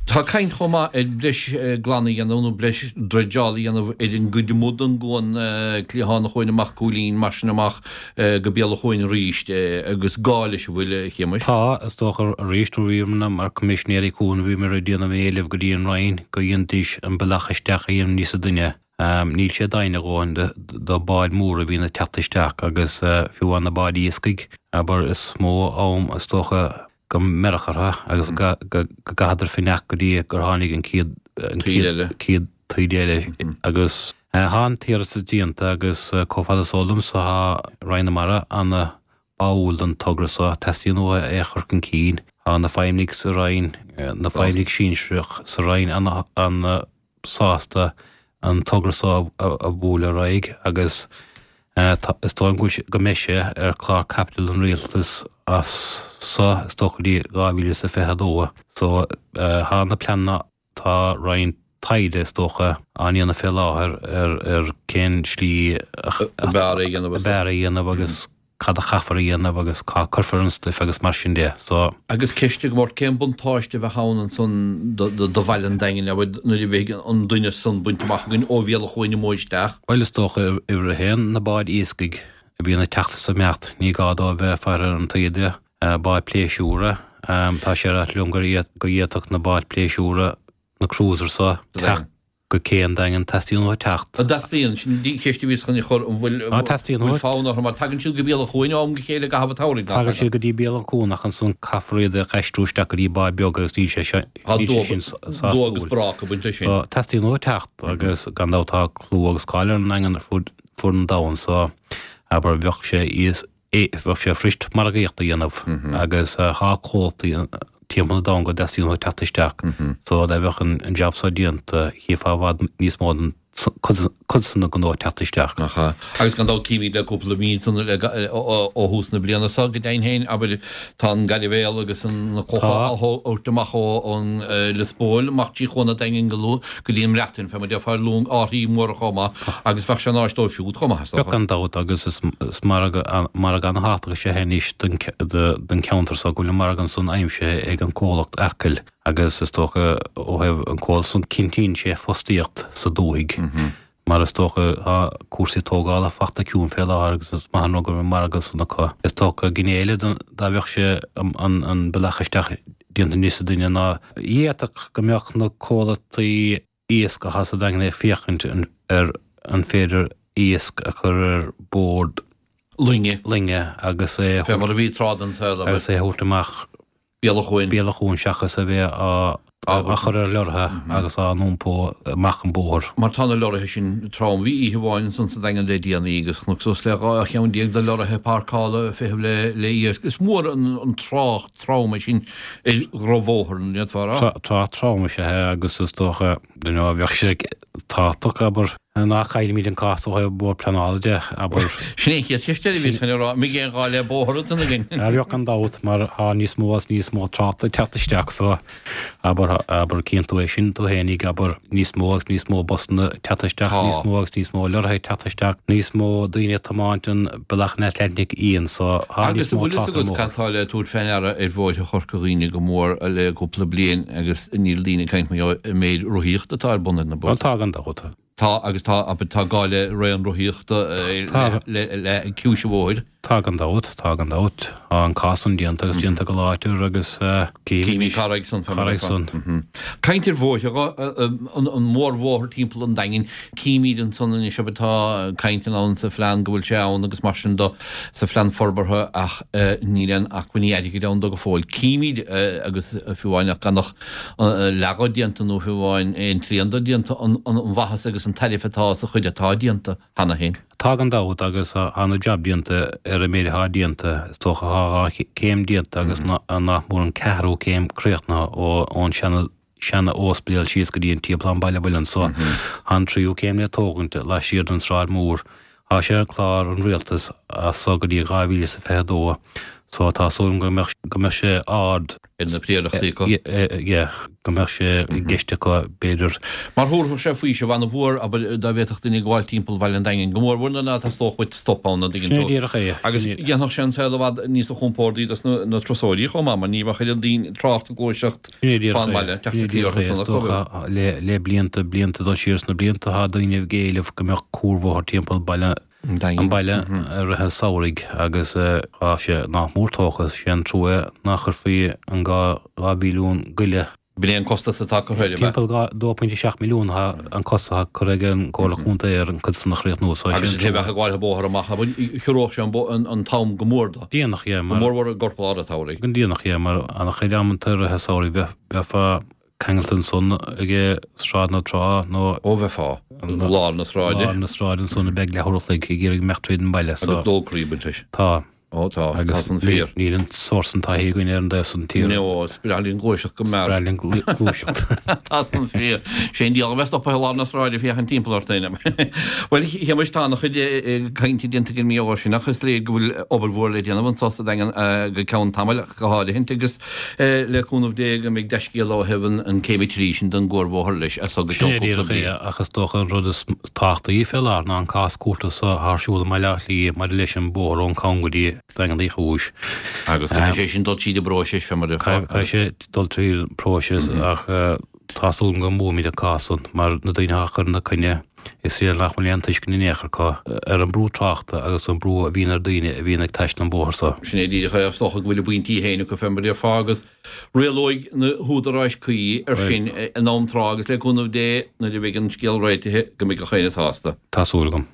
Tá caint chomh maith ar breis glanadh a dhéanamh nó breis dreideáil a dhéanamh ar an gcuid amuigh den gcuan, cliathán an chuain amach Cúilín, mar sin amach go Béal an Chuain arís agus gá leis an bhfuil, a Shéamais? Tá, is dócha arís nuair a bhíomar mar Coimisinéirí Cuain bhíomar ag déanamh an éilimh go dtí an Roinn go dhéanfaidís an bealach isteach a dhéanamh níosa doimhne. Níl sé doimhin a dhóthain do báid móra a bhíonn ag teacht isteach agus fiú amháin na báid iascaigh, abair, is mó am is dócha go mbeireadh orthu agus go gcaitheadar fanacht go dtí gur tháinig an chéad chéad taoide eile agus tá an t-iarratas déanta agus chomh fada is eol domsa tá Roinn na Mara ana báúil don togra so, teastaíonn uathu é a chur chun cinn. Tá na feidhmeannaigh sa Roinn, na feidhmeannaigh sinsearach sa Roinn ana ana sásta an togra so a bhualadh ar aghaidh agus is dóigh liom go mbeidh sé ar chlár caipitil an Rialtais as so is dócha go dtí 2022. So tá na pleananna, tá roinnt taighde is dócha á ndéanamh fé láthair ar cén slí ab fhearr é a dhéanamh agus cad a chaithfear a dhéanamh agus cá cuirfear an stuif agus mar sin de. So. Agus ceist agam ort, cén buntáiste a bheadh ann ansan do bhaile an Daingin, abair, nuair a bheidh an doimhneas san bainte amach againn ó Bhéal an Chuain amuigh isteach? Bhuel, is dócha, uimhir a haon, na báid iascaigh a bhíonn ag teacht is ag imeacht, ní gá dóibh bheith ag faire ar an taoide, báid pléisiúra, tá sé ráite liom go bhféadfadh na báid pléisiúra, na cruisers so, teacht go cé an Daingin, teastaíonn uathu teacht. An dteastaíonn? Sin an cheist a bhíos chun a chur, an bhfuil Á, teastaíonn uathu. fonn orthu, mar tagann siad go Béal an Chuain ó am go chéile i gcaitheamh an tsamhraidh, nach Tagann siad go dtí Béal an Chuain ach ansan caithfear iad a aistriú isteach go dtí bád beag agus níl sé sin, Tá níl sé sin dua sásúil. agus bráca ag baint leis sin. So, teastaíonn uathu teacht agus gan dabht tá clú agus cáil ar an nDaingean ar fud fud an domhain so, abair, bheadh sé é, bheadh sé fuirist margaíocht a dhéanamh agus tá comhlachtaí timpeall an domhain go dteastaíonn uathu teacht isteach so dá mbeadh an jab so déanta chífeá i bhfad níos mó den cuid san den ghnó teacht isteach. Nach ea. Agus gan dabht címid le cúpla mí ansan ó thús na bliana so go deimhin féin, abair, tá an gairbhéal agus na clocha á thabhairt amach ón Lios Póil amach trí Chuan an Daingin go luath go dtí an mBreatain, fé mar déarfá, ar long árthaí móra chomh maith, agus bheadh sé in áis dóibh siúd chomh maith, is dócha. Gan dabht, agus is margadh an-thábhachtach is ea é anois don cheantar so go bhfuil an margadh ansan aimsithe ag an comhlacht Arkil. Agus is dócha ó thaobh an comhlacht san cinntíonn sé fostaíocht sa dúthaigh mar is dócha tá cúrsaí tógála fachta ciúin fé láthair agus is maith an rud go raibh an margadh san acu. Is dócha gné eile dá bheadh sé an bealach isteach déanta níos doimhne ná d'fhéadfadh go mbeadh na comhlachtaí iasc atá sa Daingean ag féachaint ar an féidir iasc a chur ar bord loinge loinge agus é Fé mar a bhí tráth den saol, abair. agus é a thabhairt amach Béal an Chuain. Béal an Chuain seachas a bheith á á chur ar leoraithe agus á n-iompó amach an bóthar. Mar tá na leoraithe sin trom. Bhí oíche amháin ansan sa Daingean le déanaí agus chonac suas le 12 cheann de leoraithe páirceála ag feitheamh le le iasc. Is mór an trácht trom é sin ar dhrochbhóthar, an bhféadfá a rá? Trácht trom is ea é agus is dócha, you know, bheadh sé tábhachtach, abair, ná caillimid an cás ó thaobh bord pleanála de, abair. Sin é an chéad cheist eile a bhíos chun a rá, an mbeidh aon ghá le bóthar ansan againn? Bheadh gan dabht, mar tá níos mó agus níos mó tráchta ag teacht isteach so, abair, abair, cíonn tú é sin tú fhéinig, abair, níos mó agus níos mó busanna ag teacht isteach, níos mó agus níos mó leoraithe ag teacht isteach, níos mó daoine ag tiomáint an bealach an Atlantic Fhiáin so tá níos mó trácht ar an mbóthar. Agus an bhfuil fhios agat cad tá le tabhairt fé ndeara ar bhóithre Chorca Dhuibhne go mór le cúpla bliain agus níl daoine ag caint mar gheall ar an méid rothaíochta atá ar bun ar na bóithre. Tá gan dabht. Tá agus tá, abair, tá gá le raon rothaíochta le le ciumhais an bhóthair. Tá gan dabht, tá gan dabht. Tá an cás san déanta agus déanta go láidir agus címid carraig san. Carraig san. Caint ar bhóithre, an mórbhóthar timpeall an Daingin, címid ansan anois abair tá caint ann sa phlean go bhfuil sé ann agus mar sin do sa phlean forbartha ach níl aon acmhainní airgid ann dó go fóill. Címid agus fiú amháin ach gan ach leath dho déanta nó fiú amháin aon trian dó déanta an mhaitheas agus an tairbhe atá sa chuid atá déanta. cheana féin. Tá gan dabht agus tá ana-jab déanta ar an méid atá déanta, is dócha tá 2 céim déanta agus nach mór an ceathrú céim críochnaithe ón seana seana óispidéal síos go dtí an Teamplán Baile Mhuilinn so tá an tríú céim le tógaint laistiar den Sráid Mhór. Tá sé ar chlár an Rialtais as so go dtí 2022 so tá súil agam go mbeadh go mbeadh sé ard ar na príorachtaí acu. Yeah, go mbeadh sé i gceist acu, b'fhéidir. Mar thabharfadh sé faoiseamh ana-mhór, abair, dá bhféadfadh duine gabháil timpeall Bhaile an Daingin, go mórmhór nuair ná teastódh uait stop ann, an dtuigeann Sin é tú. díreach é. Agus dhéanfadh sé an saol i bhfad níosa chompórdaí dos na turasóirí chomh maith, mar ní bheadh oiread daoine, trácht ag gluaiseacht Sin é díreach fán é. mbaile, teacht Sin é díreach é. Is dócha, le, le blianta, blianta, dul siar sna blianta, tá daoine ag éileamh go mbeadh cuarbhóthar timpeall Baile an baile i rith an samhraidh agus tá sé nach mór tógtha. Sé an trua nach chuirfí an 2 mhilliún go leith. B'in é an costas atá curtha air, ab ea? Timpeall 2.7 milliún an costas atá curtha ag an gComhairle Contae ar an chuid san a chríochnú so sé an trua. Agus an té a bheadh ag gabháil an bóthar amach, chiorródh sé an t-am go mór dó. Déanach, yeah, mar. Go mórmhór i gcorp lár an tsamhraidh. Go déanach, yeah, mar an-chuid amanta i rith an samhraidh bheifeá ceangailte ansan ag Sráid na Trá nó. Ó bheifeá i lár na sráide. Lár na sráide ansan beag leathuair a chloig ag iarraidh imeacht tríd an mbaile so. Agus dócraí ag baint leis. Tá. Ó tá, tá san fíor. Níl an sórt san taithí againn ar an dtaobh san tíre. No, is breá linn gluaiseacht go mear. Is breá linn gluaiseacht. Tá san fíor. Sé an diabhal a bheith stoptha i lár na sráide féachaint timpeall ort féin. Bhuel, Shéamais, tá ana-chuid cainte déanta againn mar gheall air sin ach is léir go bhfuil obair mhór le déanamh anso sa Daingean go ceann tamaill ach go háirithint agus Le cúnamh Dé go mbeidh dea-scéala ó thaobh an céim 3 sin den gcuarbhóthar leis as so go Sin é ceann cúpla díreach é, bliain. ach is dócha an rud is tábhachtaí fé láthair ná an cás cúirte so atá ar siúl i mBaile Átha Cliath maidir leis an bóthar ón Cam go dtí Daingean Uí Chúis. Agus caithfidh sé sin dul tríd an bpróiseas fé mar a. Caithfidh sé dul tríd an bpróiseas ach tá súil agam go mbuafaimid an cás san mar na daoine atá ag cur ina coinne, Is léir nach bhfuil aon tuiscint in aon chor acu ar an brú tráchta agus an brú a bhíonn ar daoine a bhíonn ag taisteal an bóthar so. Sin é díreach é. Is dócha go bhfuil a bpointí féin acu fé mar a déarfá agus rialóidh na húdaráis cuí ar sin in am trátha agus le cúnamh Dé nuair a bheidh an scéal réitithe go mbeidh gach éinne sásta. Tá súil agam.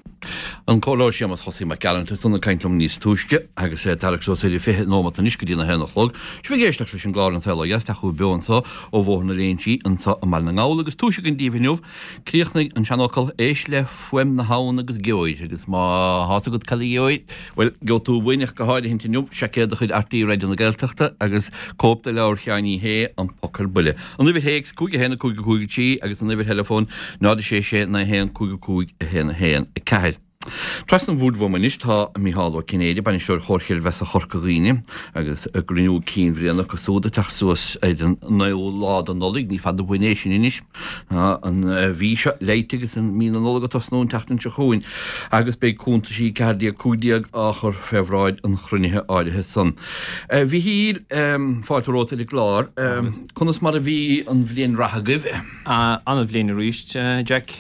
An Comhairleoir Séamus Chosaí Mac Gearailt ansan ag caint liom níos túisce agus é ag tarrac suas ar 20 nóimeat anois go dtí na haon a chlog. Sibh ag éisteacht leis an gclár An Saol Ó Dheas, ag teacht chugaibh beo anso ó Bhóthar na Léinsí anso i mBaile na nGall agus túis againn daoibh inniu Críochnaigh an seanfhocal, éist le fuaim na habhann agus gheobhair, agus má thá's agat cad a gheobhair, bhuel, gheobhaidh tú uainn ach go háirithint inniu, seaicéad de chuid RTÉ Raidió na Gaeltachta agus cóip de leabhar Sheáin Uí Shé, An Poc ar Buile. An uimhir théacs, 5 1 5 5 3 agus an uimhir theileafóin, 0 6 6 9 1 5 5 1 1 4. Trasna an bhoird uaim anois tá Micheál Ó Cinnéide, Bainisteoir Chomhar Chreidmheasa Chorca Dhuibhne, agus a gcruinniú cinn bhliana acu súd ag teacht suas ar an naoú lá de Nollaig, ní fada uainn é sin anois. Tá an mhí seo leite agus an mí na Nollag ag tosnú an tseachtain seo chugainn agus beidh cuntaisí 14, 15 á chur fé bhráid an chruinnithe áirithe san. A Mhichíl, fáilte romhat ar an gclár. Conas mar a bhí an bhliain reatha agaibh? An-bhliain arís, Jack.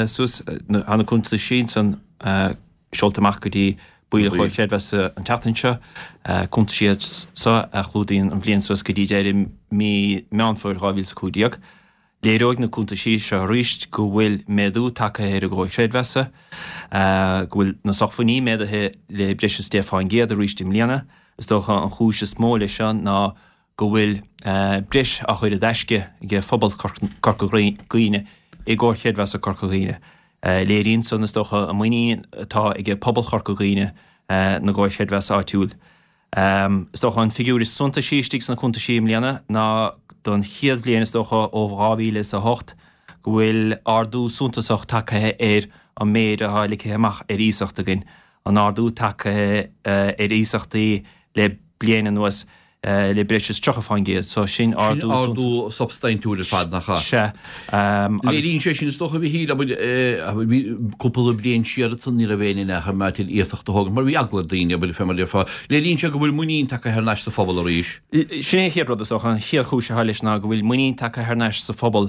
Suas, tá na cuntaisí ansan seolta amach go dtí baill an Chomhair Chreidmheasa an tseachtain seo. Cuntaisí iad so a chlúdaíonn an bhliain suas go dtí deireadh mí Meán Fómhair 2015. Léireoidh na cuntaisí seo arís go bhfuil méadú tagtha ar an gComhar Creidmheasa, go bhfuil na sócmhainní méadaithe le breis is 10 fán gcéad arís i mbliana. Is dócha an chúis is mó leis seo ná go bhfuil breis á chur i dtaisce ag phobal Corca Dhuibhne i gComhar Chreidmheasa Corca Dhuibhne. Léiríonn san, is dócha, an muinín atá ag pobal Chorca Dhuibhne na gComhar Chreidmheasa áitiúil. Is dócha an figiúr is suntaisí istigh sna cuntaisí i mbliana ná don chéad bhliain, is dócha, ó 2008 go bhfuil ardú suntasach tagtha ar an méid atá ligthe amach ar iasacht againn. An ardú tagtha ar iasachtaí le bliain anuas le breis is 30%, so sin ardú. Sin ardú substaintiúil ar fad, nach ea? Sea. Agus. Léiríonn sé sin, is dócha, a Mhichíl, abair, abair, bhí cúpla bliain siar ansan ní raibh éinne in aon chor maith iasacht a thógaint mar bhí eagla ar daoine, abair, fé mar a déarfá. Léiríonn sé go bhfuil muinín tagtha thar n-ais sa phobal arís. Sin é an chéad rud, is dócha, an chéad chúis atá leis ná go bhfuil muinín tagtha thar n-ais sa phobal.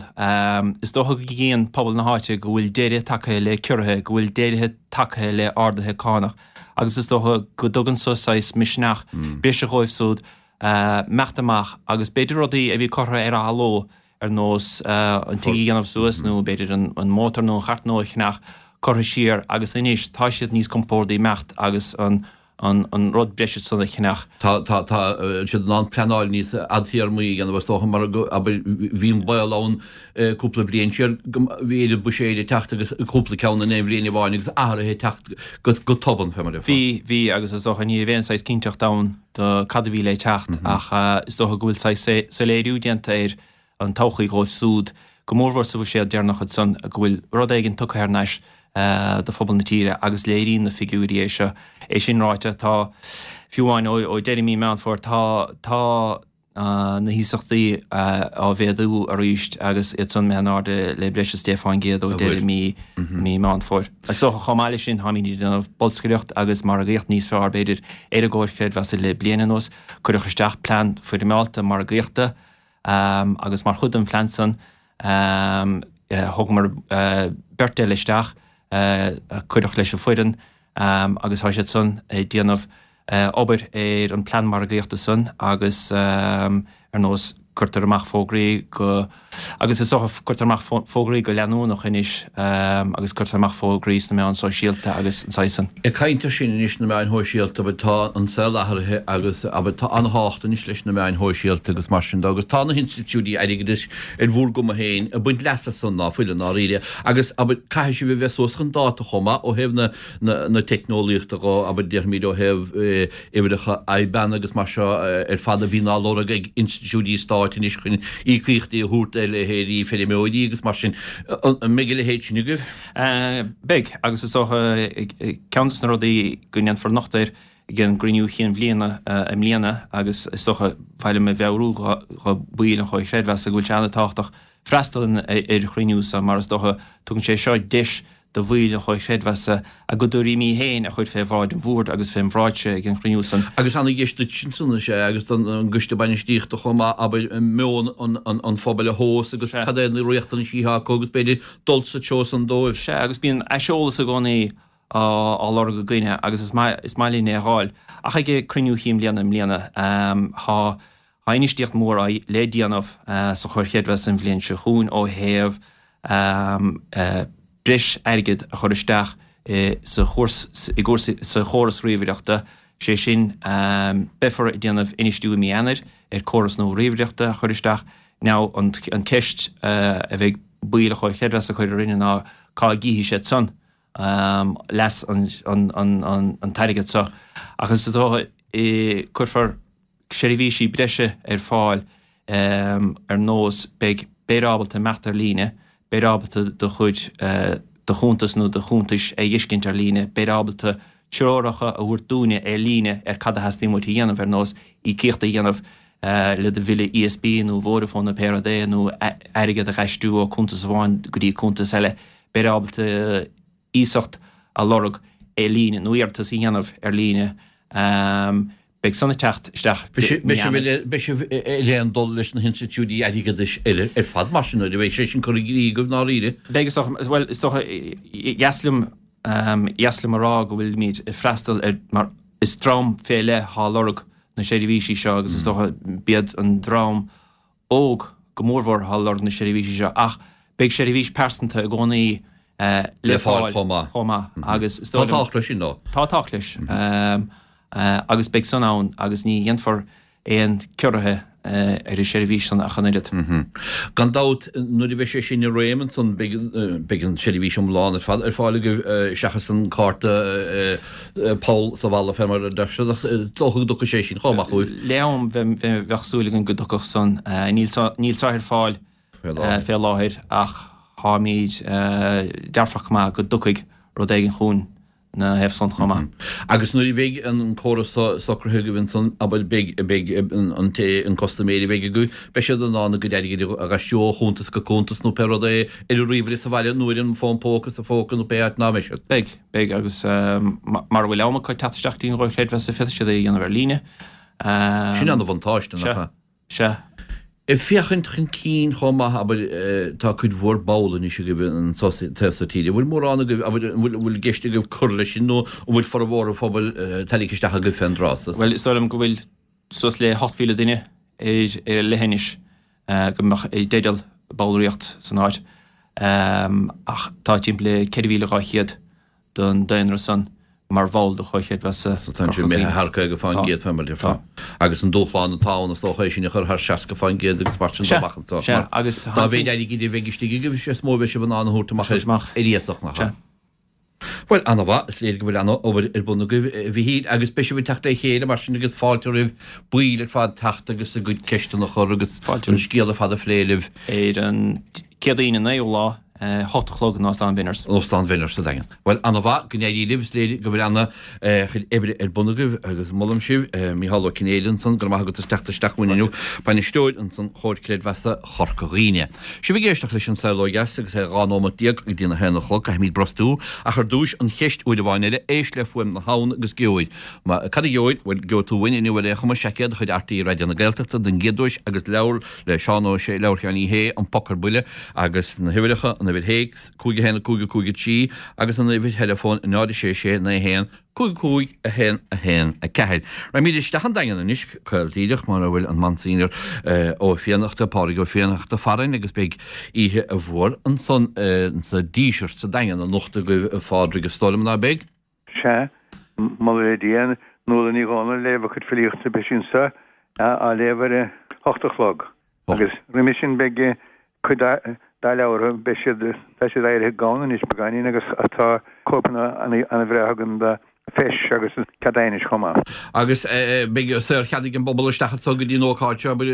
Is dócha go gcíonn pobal na háite go bhfuil deireadh tagtha le ciorruithe, go bhfuil deireadh tagtha le arduithe cánach. agus is dócha go dtugann so saghas misneach breise dhóibh súd imeacht amach agus b'fhéidir rudaí a bhí curtha ar athló ar nós an tigh a dhéanamh suas nó b'fhéidir an mótar nó an chairt nua a cheannach curtha siar agus anois tá siad níos compórdaí imeacht agus an an rud breise san a cheannach. Tá tá tá siad in ann pleanáil níos fadtéarmaí a dhéanamh is dócha mar go abair bhí an baol ann cúpla bliain siar go bhí oiread buiséid ag teacht agus cúpla ceann in aon bhliain amháin agus athruithe ag teacht go tobann, fé mar a déarfá. Bhí, bhí agus is dócha ní raibh aon saghas cinnteacht ann do cad a bhí le teacht ach is dócha go bhfuil saghas soiléiriú déanta ar an todhchaí dhóibh súd, go mórmhór sa bhuiséad deireanach ansan, go bhfuil rud éigin tugtha thar n-ais do phobal na tíre agus léiríonn na figiúirí é seo. É sin ráite, tá, fiú amháin ó deireadh mí Meán Fómhair, tá, tá, na hiasachtaí á mhéadú arís agus iad san imithe in airde le breis is 10% ó deireadh mí Meán Fómhair. Is dócha chomh maith leis sin táimid ag déanamh bolscaireacht agus margaíocht níos fearr b'fhéidir ar an gcomhar creidmheasa le bliain anuas. Cuireadh isteach plean foirmeálta margaíochta agus mar chuid den phlean san thógamar beirt eile isteach a cuireadh leis an bhfoireann agus tá siad san ag déanamh obair ar an plean margaíochta san agus ar nós cuirtear amach fógraí go agus is dócha cuirtear amach fógraí go leanúnach anois agus cuirtear amach fógraí sna meáin sóisialta agus an saghas san. Ag caint ar sin anois na meáin shóisialta abair tá an saol athraithe agus abair tá an-thábhacht anois leis na meáin shóisialta agus mar sin de agus tá na hinstitiúidí airgeadais ar bhur gcuma féin ag baint leas as san ná fuil i ndáiríre agus abair caithfidh sibh a bheith suas chun dáta chomh maith ó thaobh na na teicneolaíochta dhó, abair, déarfaimid ó thaobh uimhreacha IBAN agus mar seo ar fad a bhíonn á lorg ag institiúidí stáit anois chun íocaíochtaí a thabhairt do leithéidí feirmeoirí agus mar sin. An mbeidh a leithéid sin agaibh? Beidh, agus is dócha ceann de na rudaí go ndéanfar nochtadh air ag an gcruinniú chinn bhliana i mbliana agus is dócha ba mhaith liom a mheabhrú do bhaill an Chomhair Chreidmheasa go bhfuil sé an-tábhachtach freastal ar chruinniú so mar is dócha tugann sé seo deis do bhaill an Chomhair Chreidmheasa a gcuid tuairimí féin a chur fé bhráid an Bhoird agus fén bhráidse ag an chruinniú san. Agus ana-dheis duit ansan is ea agus don gCoiste Bainistíochta chomh maith, abair, meon an phobail a thomhas agus cad é na riachtanaisí atá acu agus b'fhéidir dul sa treo san dóibh. Sea, agus bíonn aiseolas i gcónaí á lorg againne agus is maith is maith linn é a dh'fháil. Ach ag an cruinniú chinn bhliana i mbliana, tá Tá infheistíocht mhór le déanamh sa Chomhar Chreidmheasa an bhliain seo chugainn ó thaobh breis airgid a chur isteach sa sa chóras ríomhaireachta, sé sin beifear ag déanamh infheistiú i mí Eanáir ar córas nua ríomhaireachta a chur isteach. Now an ceist a bheidh baill an Chomhair Chreidmheasa ag cur orainne ná cá gcífidh siad san leas an t-airgead seo ach is dócha cuirfear seirbhísí breise ar fáil ar nós beidh beifear ábalta imeacht ar líne, beifear ábalta do chuid. do chuntas nó do chuntais a fheiscint ar líne, beid ábalta treoracha a thabhairt dúinne ar líne ar cad a theastaíonn uait a dhéanamh, ar nós íocaíocht a dhéanamh le do bhille ESB nó Vodafone nó pé rud é, nó airgead a dh'aistriú ó cuntas amháin go dtí cuntas eile. Beid ábalta iasacht a lorg ar líne nó iarratas a dhéanamh ar líne. Beidh san ag teacht isteach mí Eanáir. Beidh sibh ar aon dul leis na hinstitiúidí airgeadais eile ar fad mar sin nuair a bheidh sé sin curtha i gcrích agaibh i ndáiríre. Beidh is dócha, bhuel is dócha, dheas liom, dheas liom a rá go bhfuilimid ag freastal ar, mar is dream fé leith atá ag lorg na seirbhísí seo agus is dócha b'iad an dream óg go mórmhór atá ag lorg na seirbhísí seo ach beidh seirbhís pearsanta i gcónaí le fáil chomh maith agus is dóigh liom. Tá tábhacht leis sin though. Tá tábhacht leis agus beidh san ann agus ní dhéanfar aon ciorruithe ar an seirbhís san ach an oiread. Gan dabht nuair a bheidh sé sin i réim ansan beidh an seirbhís iomlán ar fad ar fáil agaibh seachas an cárta poll sa bhalla fé mar a deir siad ach is dócha go dtiocfaidh sé sin chomh maith chugaibh. Le am bheadh súil againn go dtiocfadh san. Níl seo ar fáil fé láthair ach táimid dearfach go maith go dtiocfaidh rud éigin chugainn 'na thaobh san chomh maith. Agus nuair a bheidh an córas so socraithe agaibh ansan, abair, beidh, beidh an té, an custaiméir a bheidh agaibh, beidh siad in ann a gcuid airgid a dh'aistriú ó chuntas go cuntas nó pé rud é ar a ríomhaire sa bhaile nó ar an bhfón póca sa phóca nó pé áit ná mbeidh siad. Beidh, beidh agus mara bhfuil am acu teacht isteach dtí an gComhar Creidmheasa féadfaidh siad é a dhéanamh ar líne. Sin ana-bhuntáiste, nach ea? Sea. Ag féachaint chun cinn chomh maith, abair, tá cuid mhór ball anois agaibh anso sa taobh so tíre. An bhfuil mórán agaibh, abair, an bhfuil, an bhfuil i gceist agaibh cur leis sin nó an bhfuil formhór an phobail tarraingthe isteach agaibh fén dtráth so? Bhuel, is dóigh liom go bhfuil suas le 8,000 duine ar leith anois go mbeadh i dteideal ballraíocht san áit ach tá timpeall le 4,200 den daonra san mar bhall de Chomhar Creidmheasa So tá sé imithe thar 50% fé mar a déarfá. Agus an dúshlán atá ann is dócha é sin a chur thar 60% agus mar sin de amach anseo. Sea, agus dá mhéid airgid a bheidh istigh agaibh is mó a bheidh sibh in ann a thabhairt amach ar iasacht, nach ea? Bhuel, ana-mhaith, is léir go bhfuil ana-obair ar bun agaibh, a Mhichíl, agus beidh sibh ag teacht le chéile mar sin agus fáilte roimh baill ar fad teacht agus a gcuid ceisteanna a chur agus an scéal ar fad a phlé libh. Ar an Céadaoin an 9ú lá, 8 a chlog in Óstán Bhenner's. Óstán Bhenner's sa Daingean. Bhuel, ana-mhaith, go n-éirí libh, is léir go bhfuil ana-chuid oibre ar bun agaibh agus molaim sibh. Micheál Ó Cinnéide ansan, go raibh maith agat as teacht isteach chugainn inniu, Bainisteoir ansan Chomhar Creidmheasa Chorca Dhuibhne. Sibh ag éisteacht leis An Saol Ó Dheas agus é 12 nóimeat go dtí na haon a chlog, caithfimid brostú, ach ar dtúis an cheist uair amháin eile, éist le fuaim na habhann agus gheobhair. Cad a gheobhair? Bhuel, gheobhaidh tú uainn inniu ar aon chuma, seaicéad de chuid RTÉ Raidió na Gaeltachta don gcéad duais agus leabhar le Seán Ó Sé, leabhar Sheáin Uí Shé, An Poc ar Buile, agus na huimhreacha, an uimhir théacs, 5 1 5 5 3, agus an uimhir theileafóin, 0 6 6 9 1 5 5 1 1 4. Raghaimid isteach an Daingean anois, caol díreach, mar a bhfuil an Monsignor Ó Fiannachta, Pádraig Ó Fiannachta farainn agus beidh oíche mhór ansan sa Díseart sa Daingean anocht agaibh, a Phádraig, is dóigh liom, ná beidh? Sea, moladh le Dia, Nuala Ní Dhomhnaill ag léamh a cuid filíochta, beidh sí anseo á léamh ar a hocht a chlog. Agus roimhe sin beidh cuid dá leabhartha, beidh siad, tá siad éirithe gann anois beagáinín agus tá cóipeanna an-bhreá againn de Feis agus an Cead Aighnis chomh maith. Agus beidh saorchead ag an bpobal isteach anso go dtí an ócáid seo, abair,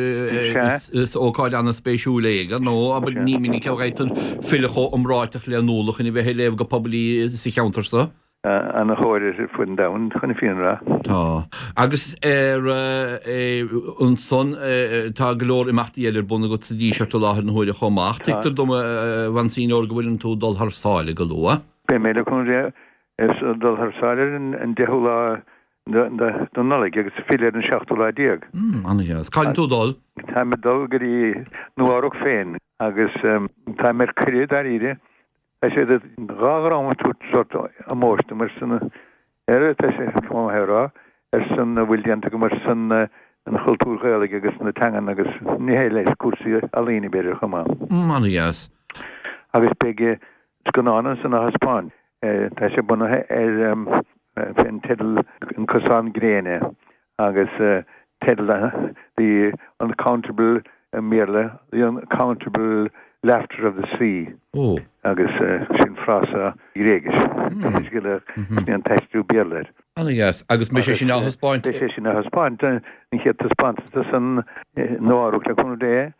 is ócáid an-spéisiúil é, ar ndóigh, abair, ní minic a fhaightear file chomh iomráiteach le Nuala chun a bheith ag léamh go poiblí sa cheantar so. Ana-thóir uirthi ar fud an domhain, chun na fírinne a rá. Tá. Agus ar ansan, tá go leor imeachtaí eile ar bun agat sa Díseart i láthair na huaire chomh maith. Tuigtear dom, a Mhonseigneur, go bhfuileann tú ag dul thar sáile go luath. Beidh mé le cúnamh Dé ag dul thar sáile ar an deichiú lá de Nollaig agus filleadh ar an seachtú lá déag. Ana-dheas. Cá bhfuileann tú ag dul? Táim ag dul go dtí Nua-Eabhrac féin agus táim ar cuireadh dáiríre. Tá siad dhá dhream ag tabhairt sórt ómóis dom ar son, ar, tá sé chomh maith a rá, ar son a bhfuil déanta agam ar son an chultúir Ghaelaigh agus na teangan agus nithe eile, cúrsaí ealaíne b'fhéidir chomh maith. Ana-dheas. Agus beidh scannán ansan á thaispeáint. Tá sé bunaithe ar fén teideal An Cosán Gréine agus teideal The Uncountable i mBéarla, The Uncountable Laughter of the Sea agus sin frása Gréigis. Sin an t-aistriú Béarla air. Ana-dheas. Agus mbeidh sé sin á thaispeáint? Beidh sé sin á thaispeáint, an chéad taispeántas ansan i Nua-Eabhrac le cúnamh Dé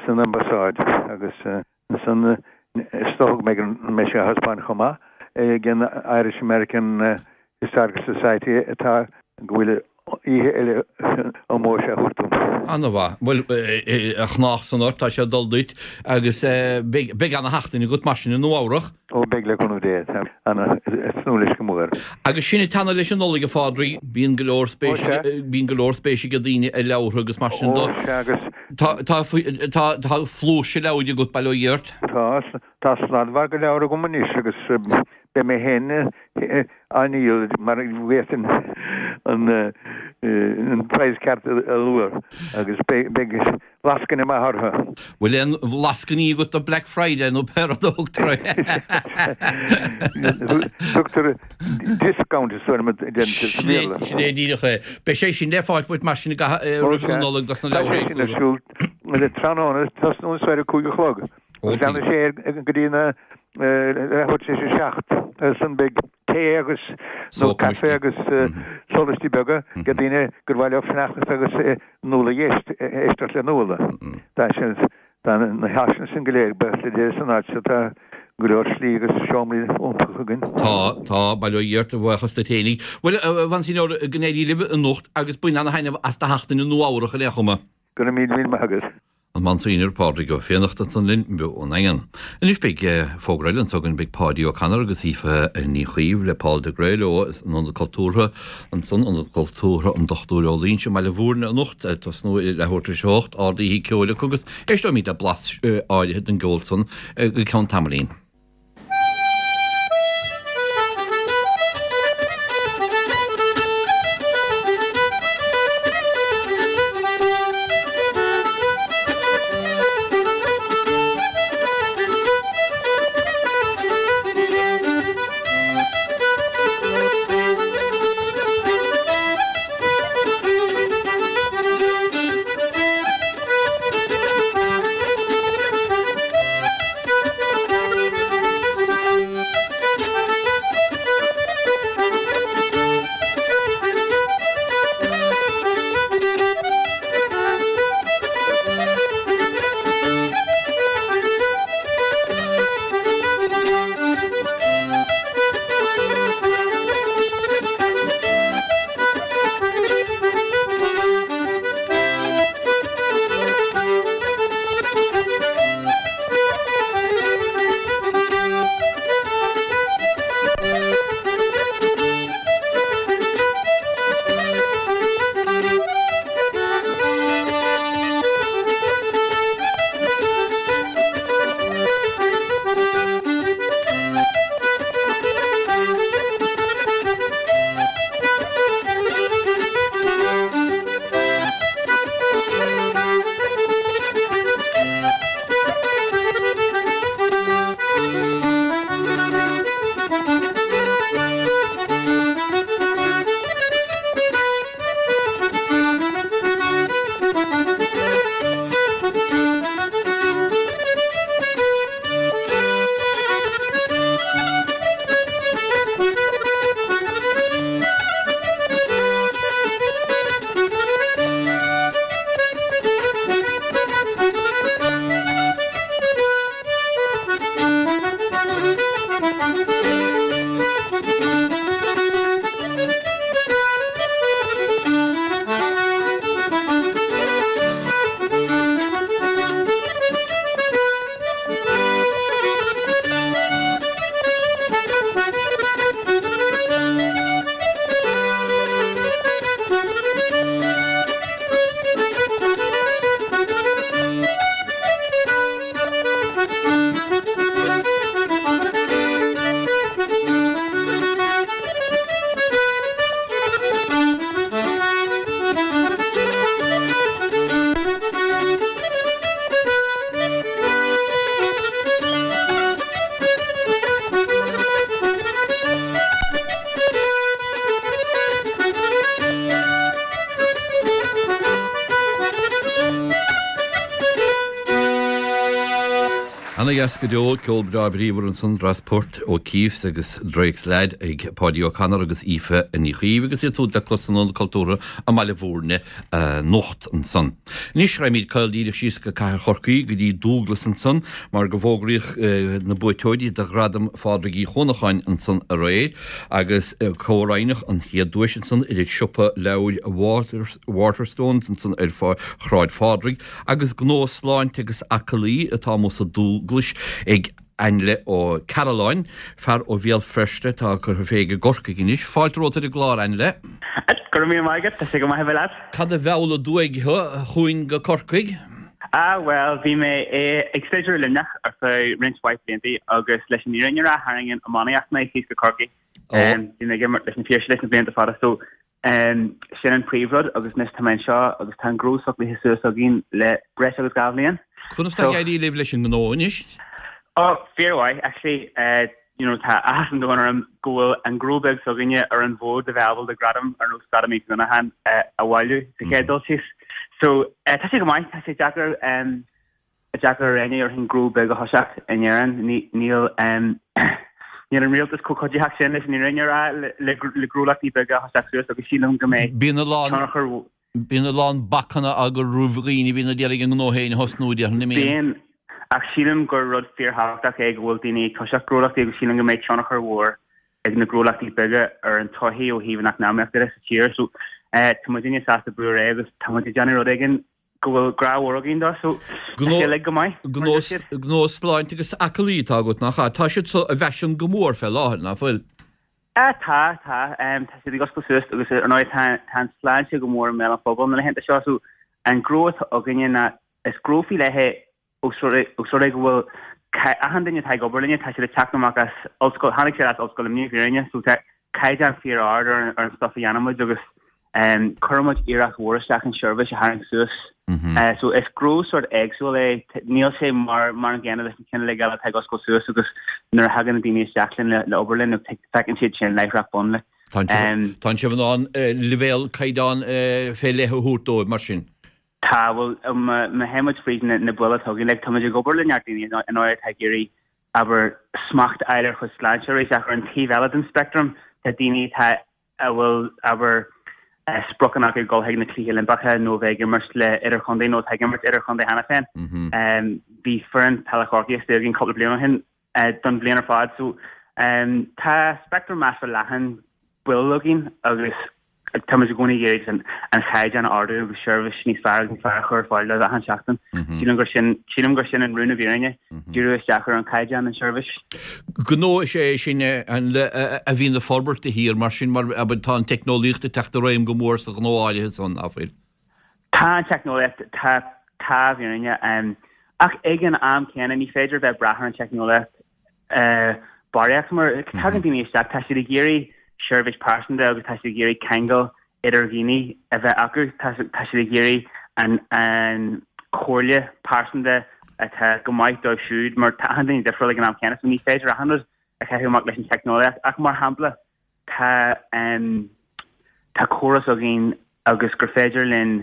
san Ambasáid agus. Ansan. Is dócha go mbeidh sé á thaispeáint chomh maith ag an Irish American Historical Society atá go bhfuil oíche eile ómóis á thabhairt dom. Ana-mhaith. Bhuel, a chnách san ort, tá sé ag dul duit agus beidh ana-sheachtain agat mar sin i Nua Eabhrach. Ó beidh le cúnamh Dé. Tá ana tnúth leis go mór. Agus sinn ag teannadh leis an Nollaig a Phádraig, bíonn go leor spéis bíonn go leor spéis ag daoine i leabhartha agus mar sin do. Ó sea agus. Tá tá tá tá flúirse leabhair agat, bail ó Dhia ort. Tá, tá sladmhargadh leabhar agam anois agus beidh mé féin á ndíol mar go bhféadfainn an praghas ceart a lua agus beidh lascaine maith orthu. Bhfuil aon lascainí agat do Black Friday nó pé rud a thugtar air? Tugtar discount is dóigh liom a deireann siad sa Bhéarla. Sin é díreach é. Beidh sé sin le fáil uait mar sin i gcaitheamh roimh an Nollaig dos na leabhartha éagsúla. Tá sé sin ar siúl tráthnóna, tosnú soir ag 5 a chlog. Agus leanfaidh sé go dtí na leathuair tar éis 7. Ansan beidh tae agus nó caife agus sólaistí beaga do daoine gur mhaith leo fanacht agus Nuala a éisteacht le Nuala. Tá sin tá na háiseanna sin go léir buíochas le Dia san áit seo tá go leor slí agus seomraí iontacha againn. Tá, tá, bail ó Dhia ort, a bhuíochas duit fhéinig. Bhuel, a Mhonseigneur, go n-éirí libh anocht agus bain ana-thaitneamh as do sheachtain i Nua Eabhrach ar aon chuma. Go raibh míle míle maith agat. An Monsignor Pádraig Ó Fiannachta ansan linn beo ón nDaingean. Anois beidh fógra eile anso againn, beidh Páidí Ó Connor agus Aoife Ní Chaoimh le Paul de Gré leo san Ionad Cultúrtha ansan, Ionad Cultúrtha an Dochtúir Ó Loingsigh i mBaile Bhúirne anocht, ag tosnú ar leathuair tar éis a hocht, ard-oíche ceoil acu agus éisteoimid le blas áirithe den gceol san go ceann tamaillín. Ana dheas go deo, ceol breá bríomhar ansan, dreas poirt ó Keefe's agus Drake's Lad ag Páidí Ó Connor agus Aoife Ní Chaoimh agus iad súd le clos san Ionad Cultúrtha i mBaile Bhúirne anocht ansan. Anois raghaimid caol díreach síos go Cathair Chorcaí go dtí Dúglas ansan mar go bhfógraíodh na buaiteoirí do Ghradam Phádraig Uí Chuanacháin ansan aréir agus comhroinneadh an chéad duais ansan idir siopa leabhair Waterstones ansan ar Shráid Phádraig Agus gnó sláinte agus aclaí atá amuigh sa Dúglais ag Ainle Ó Cearalláin, fear ó Bhéal Feirste atá curtha fé i gCorcaigh anois. Fáilte romhat ar an gclár, Ainle. Go raibh míle maith agat, tá sé go maith a bheith leat. Cad a mheall aduaidh thú chugainn go Corcaigh? Ah, bhuel, bhí mé ag staidéar i Luimneach ar feadh roinnt mhaith blianta agus leis an fhírinne a rá, tharraing an iománaíocht mé síos go Corcaigh. Bhí mé ag imirt leis na Piarsaigh leis na blianta fada so Sin an príomhrud agus anois tá mé anseo agus tá an gnó socraithe suas againn le breis agus 2 bhliain. Conas tá ag éirí libh leis an ngnó anois? Oh, fíormhaith actually. You know, tá áthas an domhain orm go bhfuil an gnó beag s'againne ar an bhfód le bheith ábalta gradam ar nós Gradam Uí Chuanacháin a bhailiú sa chéad dul síos. So, tá sé go maith, tá sé deacair. deacair ar éinne déarfainn gnó beag a thoiseacht in Éirinn. Níl níl an rialtas chomh cuiditheach sin leis an fhírinne a rá le gnólachtaí beaga a thoiseacht suas agus sílim go mbeidh Bíonn a lán tionchar Bíonn a lán bacanna á gcur roimh dhaoine a bhíonn ag iarraidh a ngnó féin a thosnú, déarfainn, an mbíonn? Bíonn, ach sílim gur rud fíorthábhachtach é go bhfuil daoine ag toiseacht gnólachtaí agus sílim go mbeidh tionchar mhór ag na gnólachtaí beaga ar an tsochaí ó thaobh an eacnamaíochta de sa tír. So tá muidinne sásta brú ar aghaidh agus tá muid ag déanamh rud éigin go bhfuil grá mhór againn dó so tá sé uilig go maith, mar a deir siad. Gnó sláinte agus aclaí atá agat, nach ea? Tá siad so i bhfaisean go mór fé láthair, nach bhfuil? Tá, tá. Tá siad ag oscailt suas agus ar ndóigh tá an tsláinte go mór i mbéal an phobail na laethanta seo so an gnó atá againne ná is gnó faoi leith é Ós rud é go bhfuil achan duine atá ag obair linne, tá siad ag teacht amach as ollscoil, tháinig siad as Ollscoil Luimnigh, i bhfírinne, so tá caighdeán fíor-ard ar an stuff a dhéanann muid agus cuireann muid iarracht mhór isteach an seirbhís a tharraingt suas. So is gnó sort éagsúil é, níl sé mar mar an gcéanna leis na cinn uilig eile atá ag oscailt suas agus nuair a thagann na daoine isteach linn le obair linn, feiceann siad sin láithreach bonn like. Tá sibh in ann leibhéal caighdeán fé leith a thabhairt dóibh mar sin? Tá, bhuel, má théann muid fríd na baill atá againn, like, tá muid ag obair le neart daoine ar ndóigh atá ag iarraidh, abair, smacht a fháil ar a gcuid sláinte arís, ach ar an taobh eile den speictream, tá daoine atá, a bhfuil, abair, spriocanna acu dul chuig na Cluichí Oilimpeacha nó a bheith ag imirt le idirchontae nó atá ag imirt idirchontae cheana féin. Bhí foireann peile Chorcaí istigh againn cúpla bliain ó shin don bhliain ar fad. So, tá speictream measartha leathan baill againn agus Tá muid i gcónaí ag iarraidh an chaighdeán a ardú agus seirbhís níos fearr agus níos fearr a chur ar fáil dóibh achan seachtain. Sílim gur sin, sílim gur sin an rún i bhfírinne, díriú isteach ar an chaighdeán, an seirbhís. Gnó is ea é sin a bhíonn ag forbairt de shíor mar sin, mar tá an teicneolaíocht ag teacht i réim go mór sa ghnó áirithe san, ná fuil? Tá an teicneolaíocht, tá, tá i bhfírinne. Ach ag an am céanna ní féidir a bheith ag brath ar an teicneolaíocht barraíocht mar tagann daoine isteach, tá siad ag iarraidh seirbhís pearsanta agus tá siad ag iarraidh ceangal idir dhaoine a bheith acu, tá siad ag iarraidh an an chomhairle pearsanta atá go maith dóibh siúd mar tá achan duine difriúil ag an am céanna so ní féidir achan rud a chaitheamh amach leis an teicneolaíocht ach mar shampla tá tá córas againn agus gur féidir linn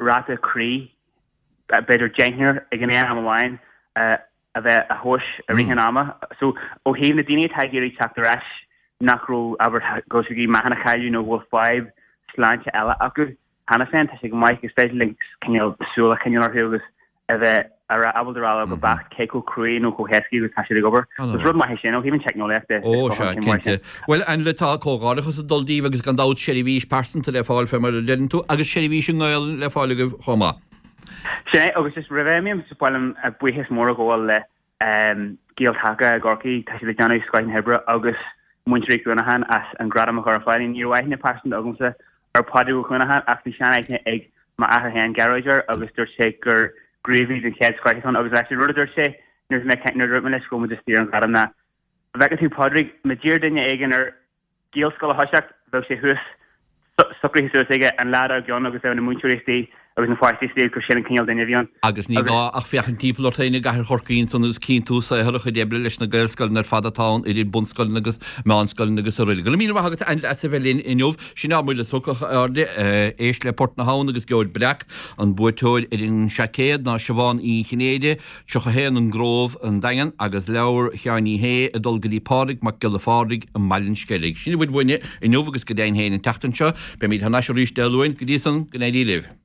ráta croí b'fhéidir deichniúr ag an aon am amháin a a bheith á thomhas i rith an ama. So, ó thaobh na daoine atá ag iarraidh teacht ar ais nach raibh, abair, go bhfuil siad ag iarraidh meáchan a chailleadh nó go bhfuil fadhb sláinte eile acu cheana féin, tá sé go maith, is féidir linn cineál súil a choinneáil orthu agus a bheith ábalta a rá leo go beacht cé chomh cruaidh nó chomh héascaí agus atá siad ag obair. So, is rud maith é sin ó thaobh an teicneolaíocht de. Ó, sea, cinnte. Bhuel, Ainle, tá comhghairdeachas ag dul daoibh agus gan dabht seirbhís pearsanta le fáil fé mar a deireann tú agus seirbhís i nGaelainn le fáil agaibh chomh maith. Sin é, agus just roimh a imím, ba mhaith liom buíochas mór a ghabháil le Gael Taca i gCorcaigh, tá siad ag déanamh scoith na hoibre, agus muintir Uí Chuanacháin as an gradam a chur ar fáil. Ní raibh aithne pearsanta agamsa ar Phádraig Ó Cuanacháin ach bhí sean-aithne ag m'athair féin, Gearóid, air agus dúirt sé gur gníomhaí den chéad scoith atá ann agus actually rud a dúirt sé nuair a bhí mé ag caint, nuair a dúirt mé leis go raibh muid istigh ar an ghradam ná, bhfeicfidh tú Pádraig, má d'iarr duine éigin air Gaelscoil a thoiseacht, bheadh sé thuas, socraithe suas aige an lá dár gcionn agus bheadh na múinteoirí istigh. Agus na pháistí sa taobh gur sin an cineál duine a bhí ann. Agus ní gá ach féachaint timpeall ort féin i gcathair Chorcaí ansan agus cíonn tú saothar a chuid oibre leis na Gaelscoileanna ar fad atá ann, idir bunscoileanna agus meánscoileanna agus araile. Go raibh míle maith agat a Ainle as a bheith linn inniu. Sin ár mbuille tugtha, a chairde. Éist le Port na hAbhann agus gheobhair breac. An buaiteoir ar an seaicéad ná Siobhán Uí Chinnéide, 31, An Grove, An Daingean, agus leabhar Sheáin Uí Shé ag dul go dtí Pádraig Mac Giolla Phádraig i mBaile an Sceilg. Sin a bhfuil uainne inniu agus go deimhin féin an tseachtain seo. Beimid thar n-ais arís Dé Luain. Go dtí san, go n-éirí libh.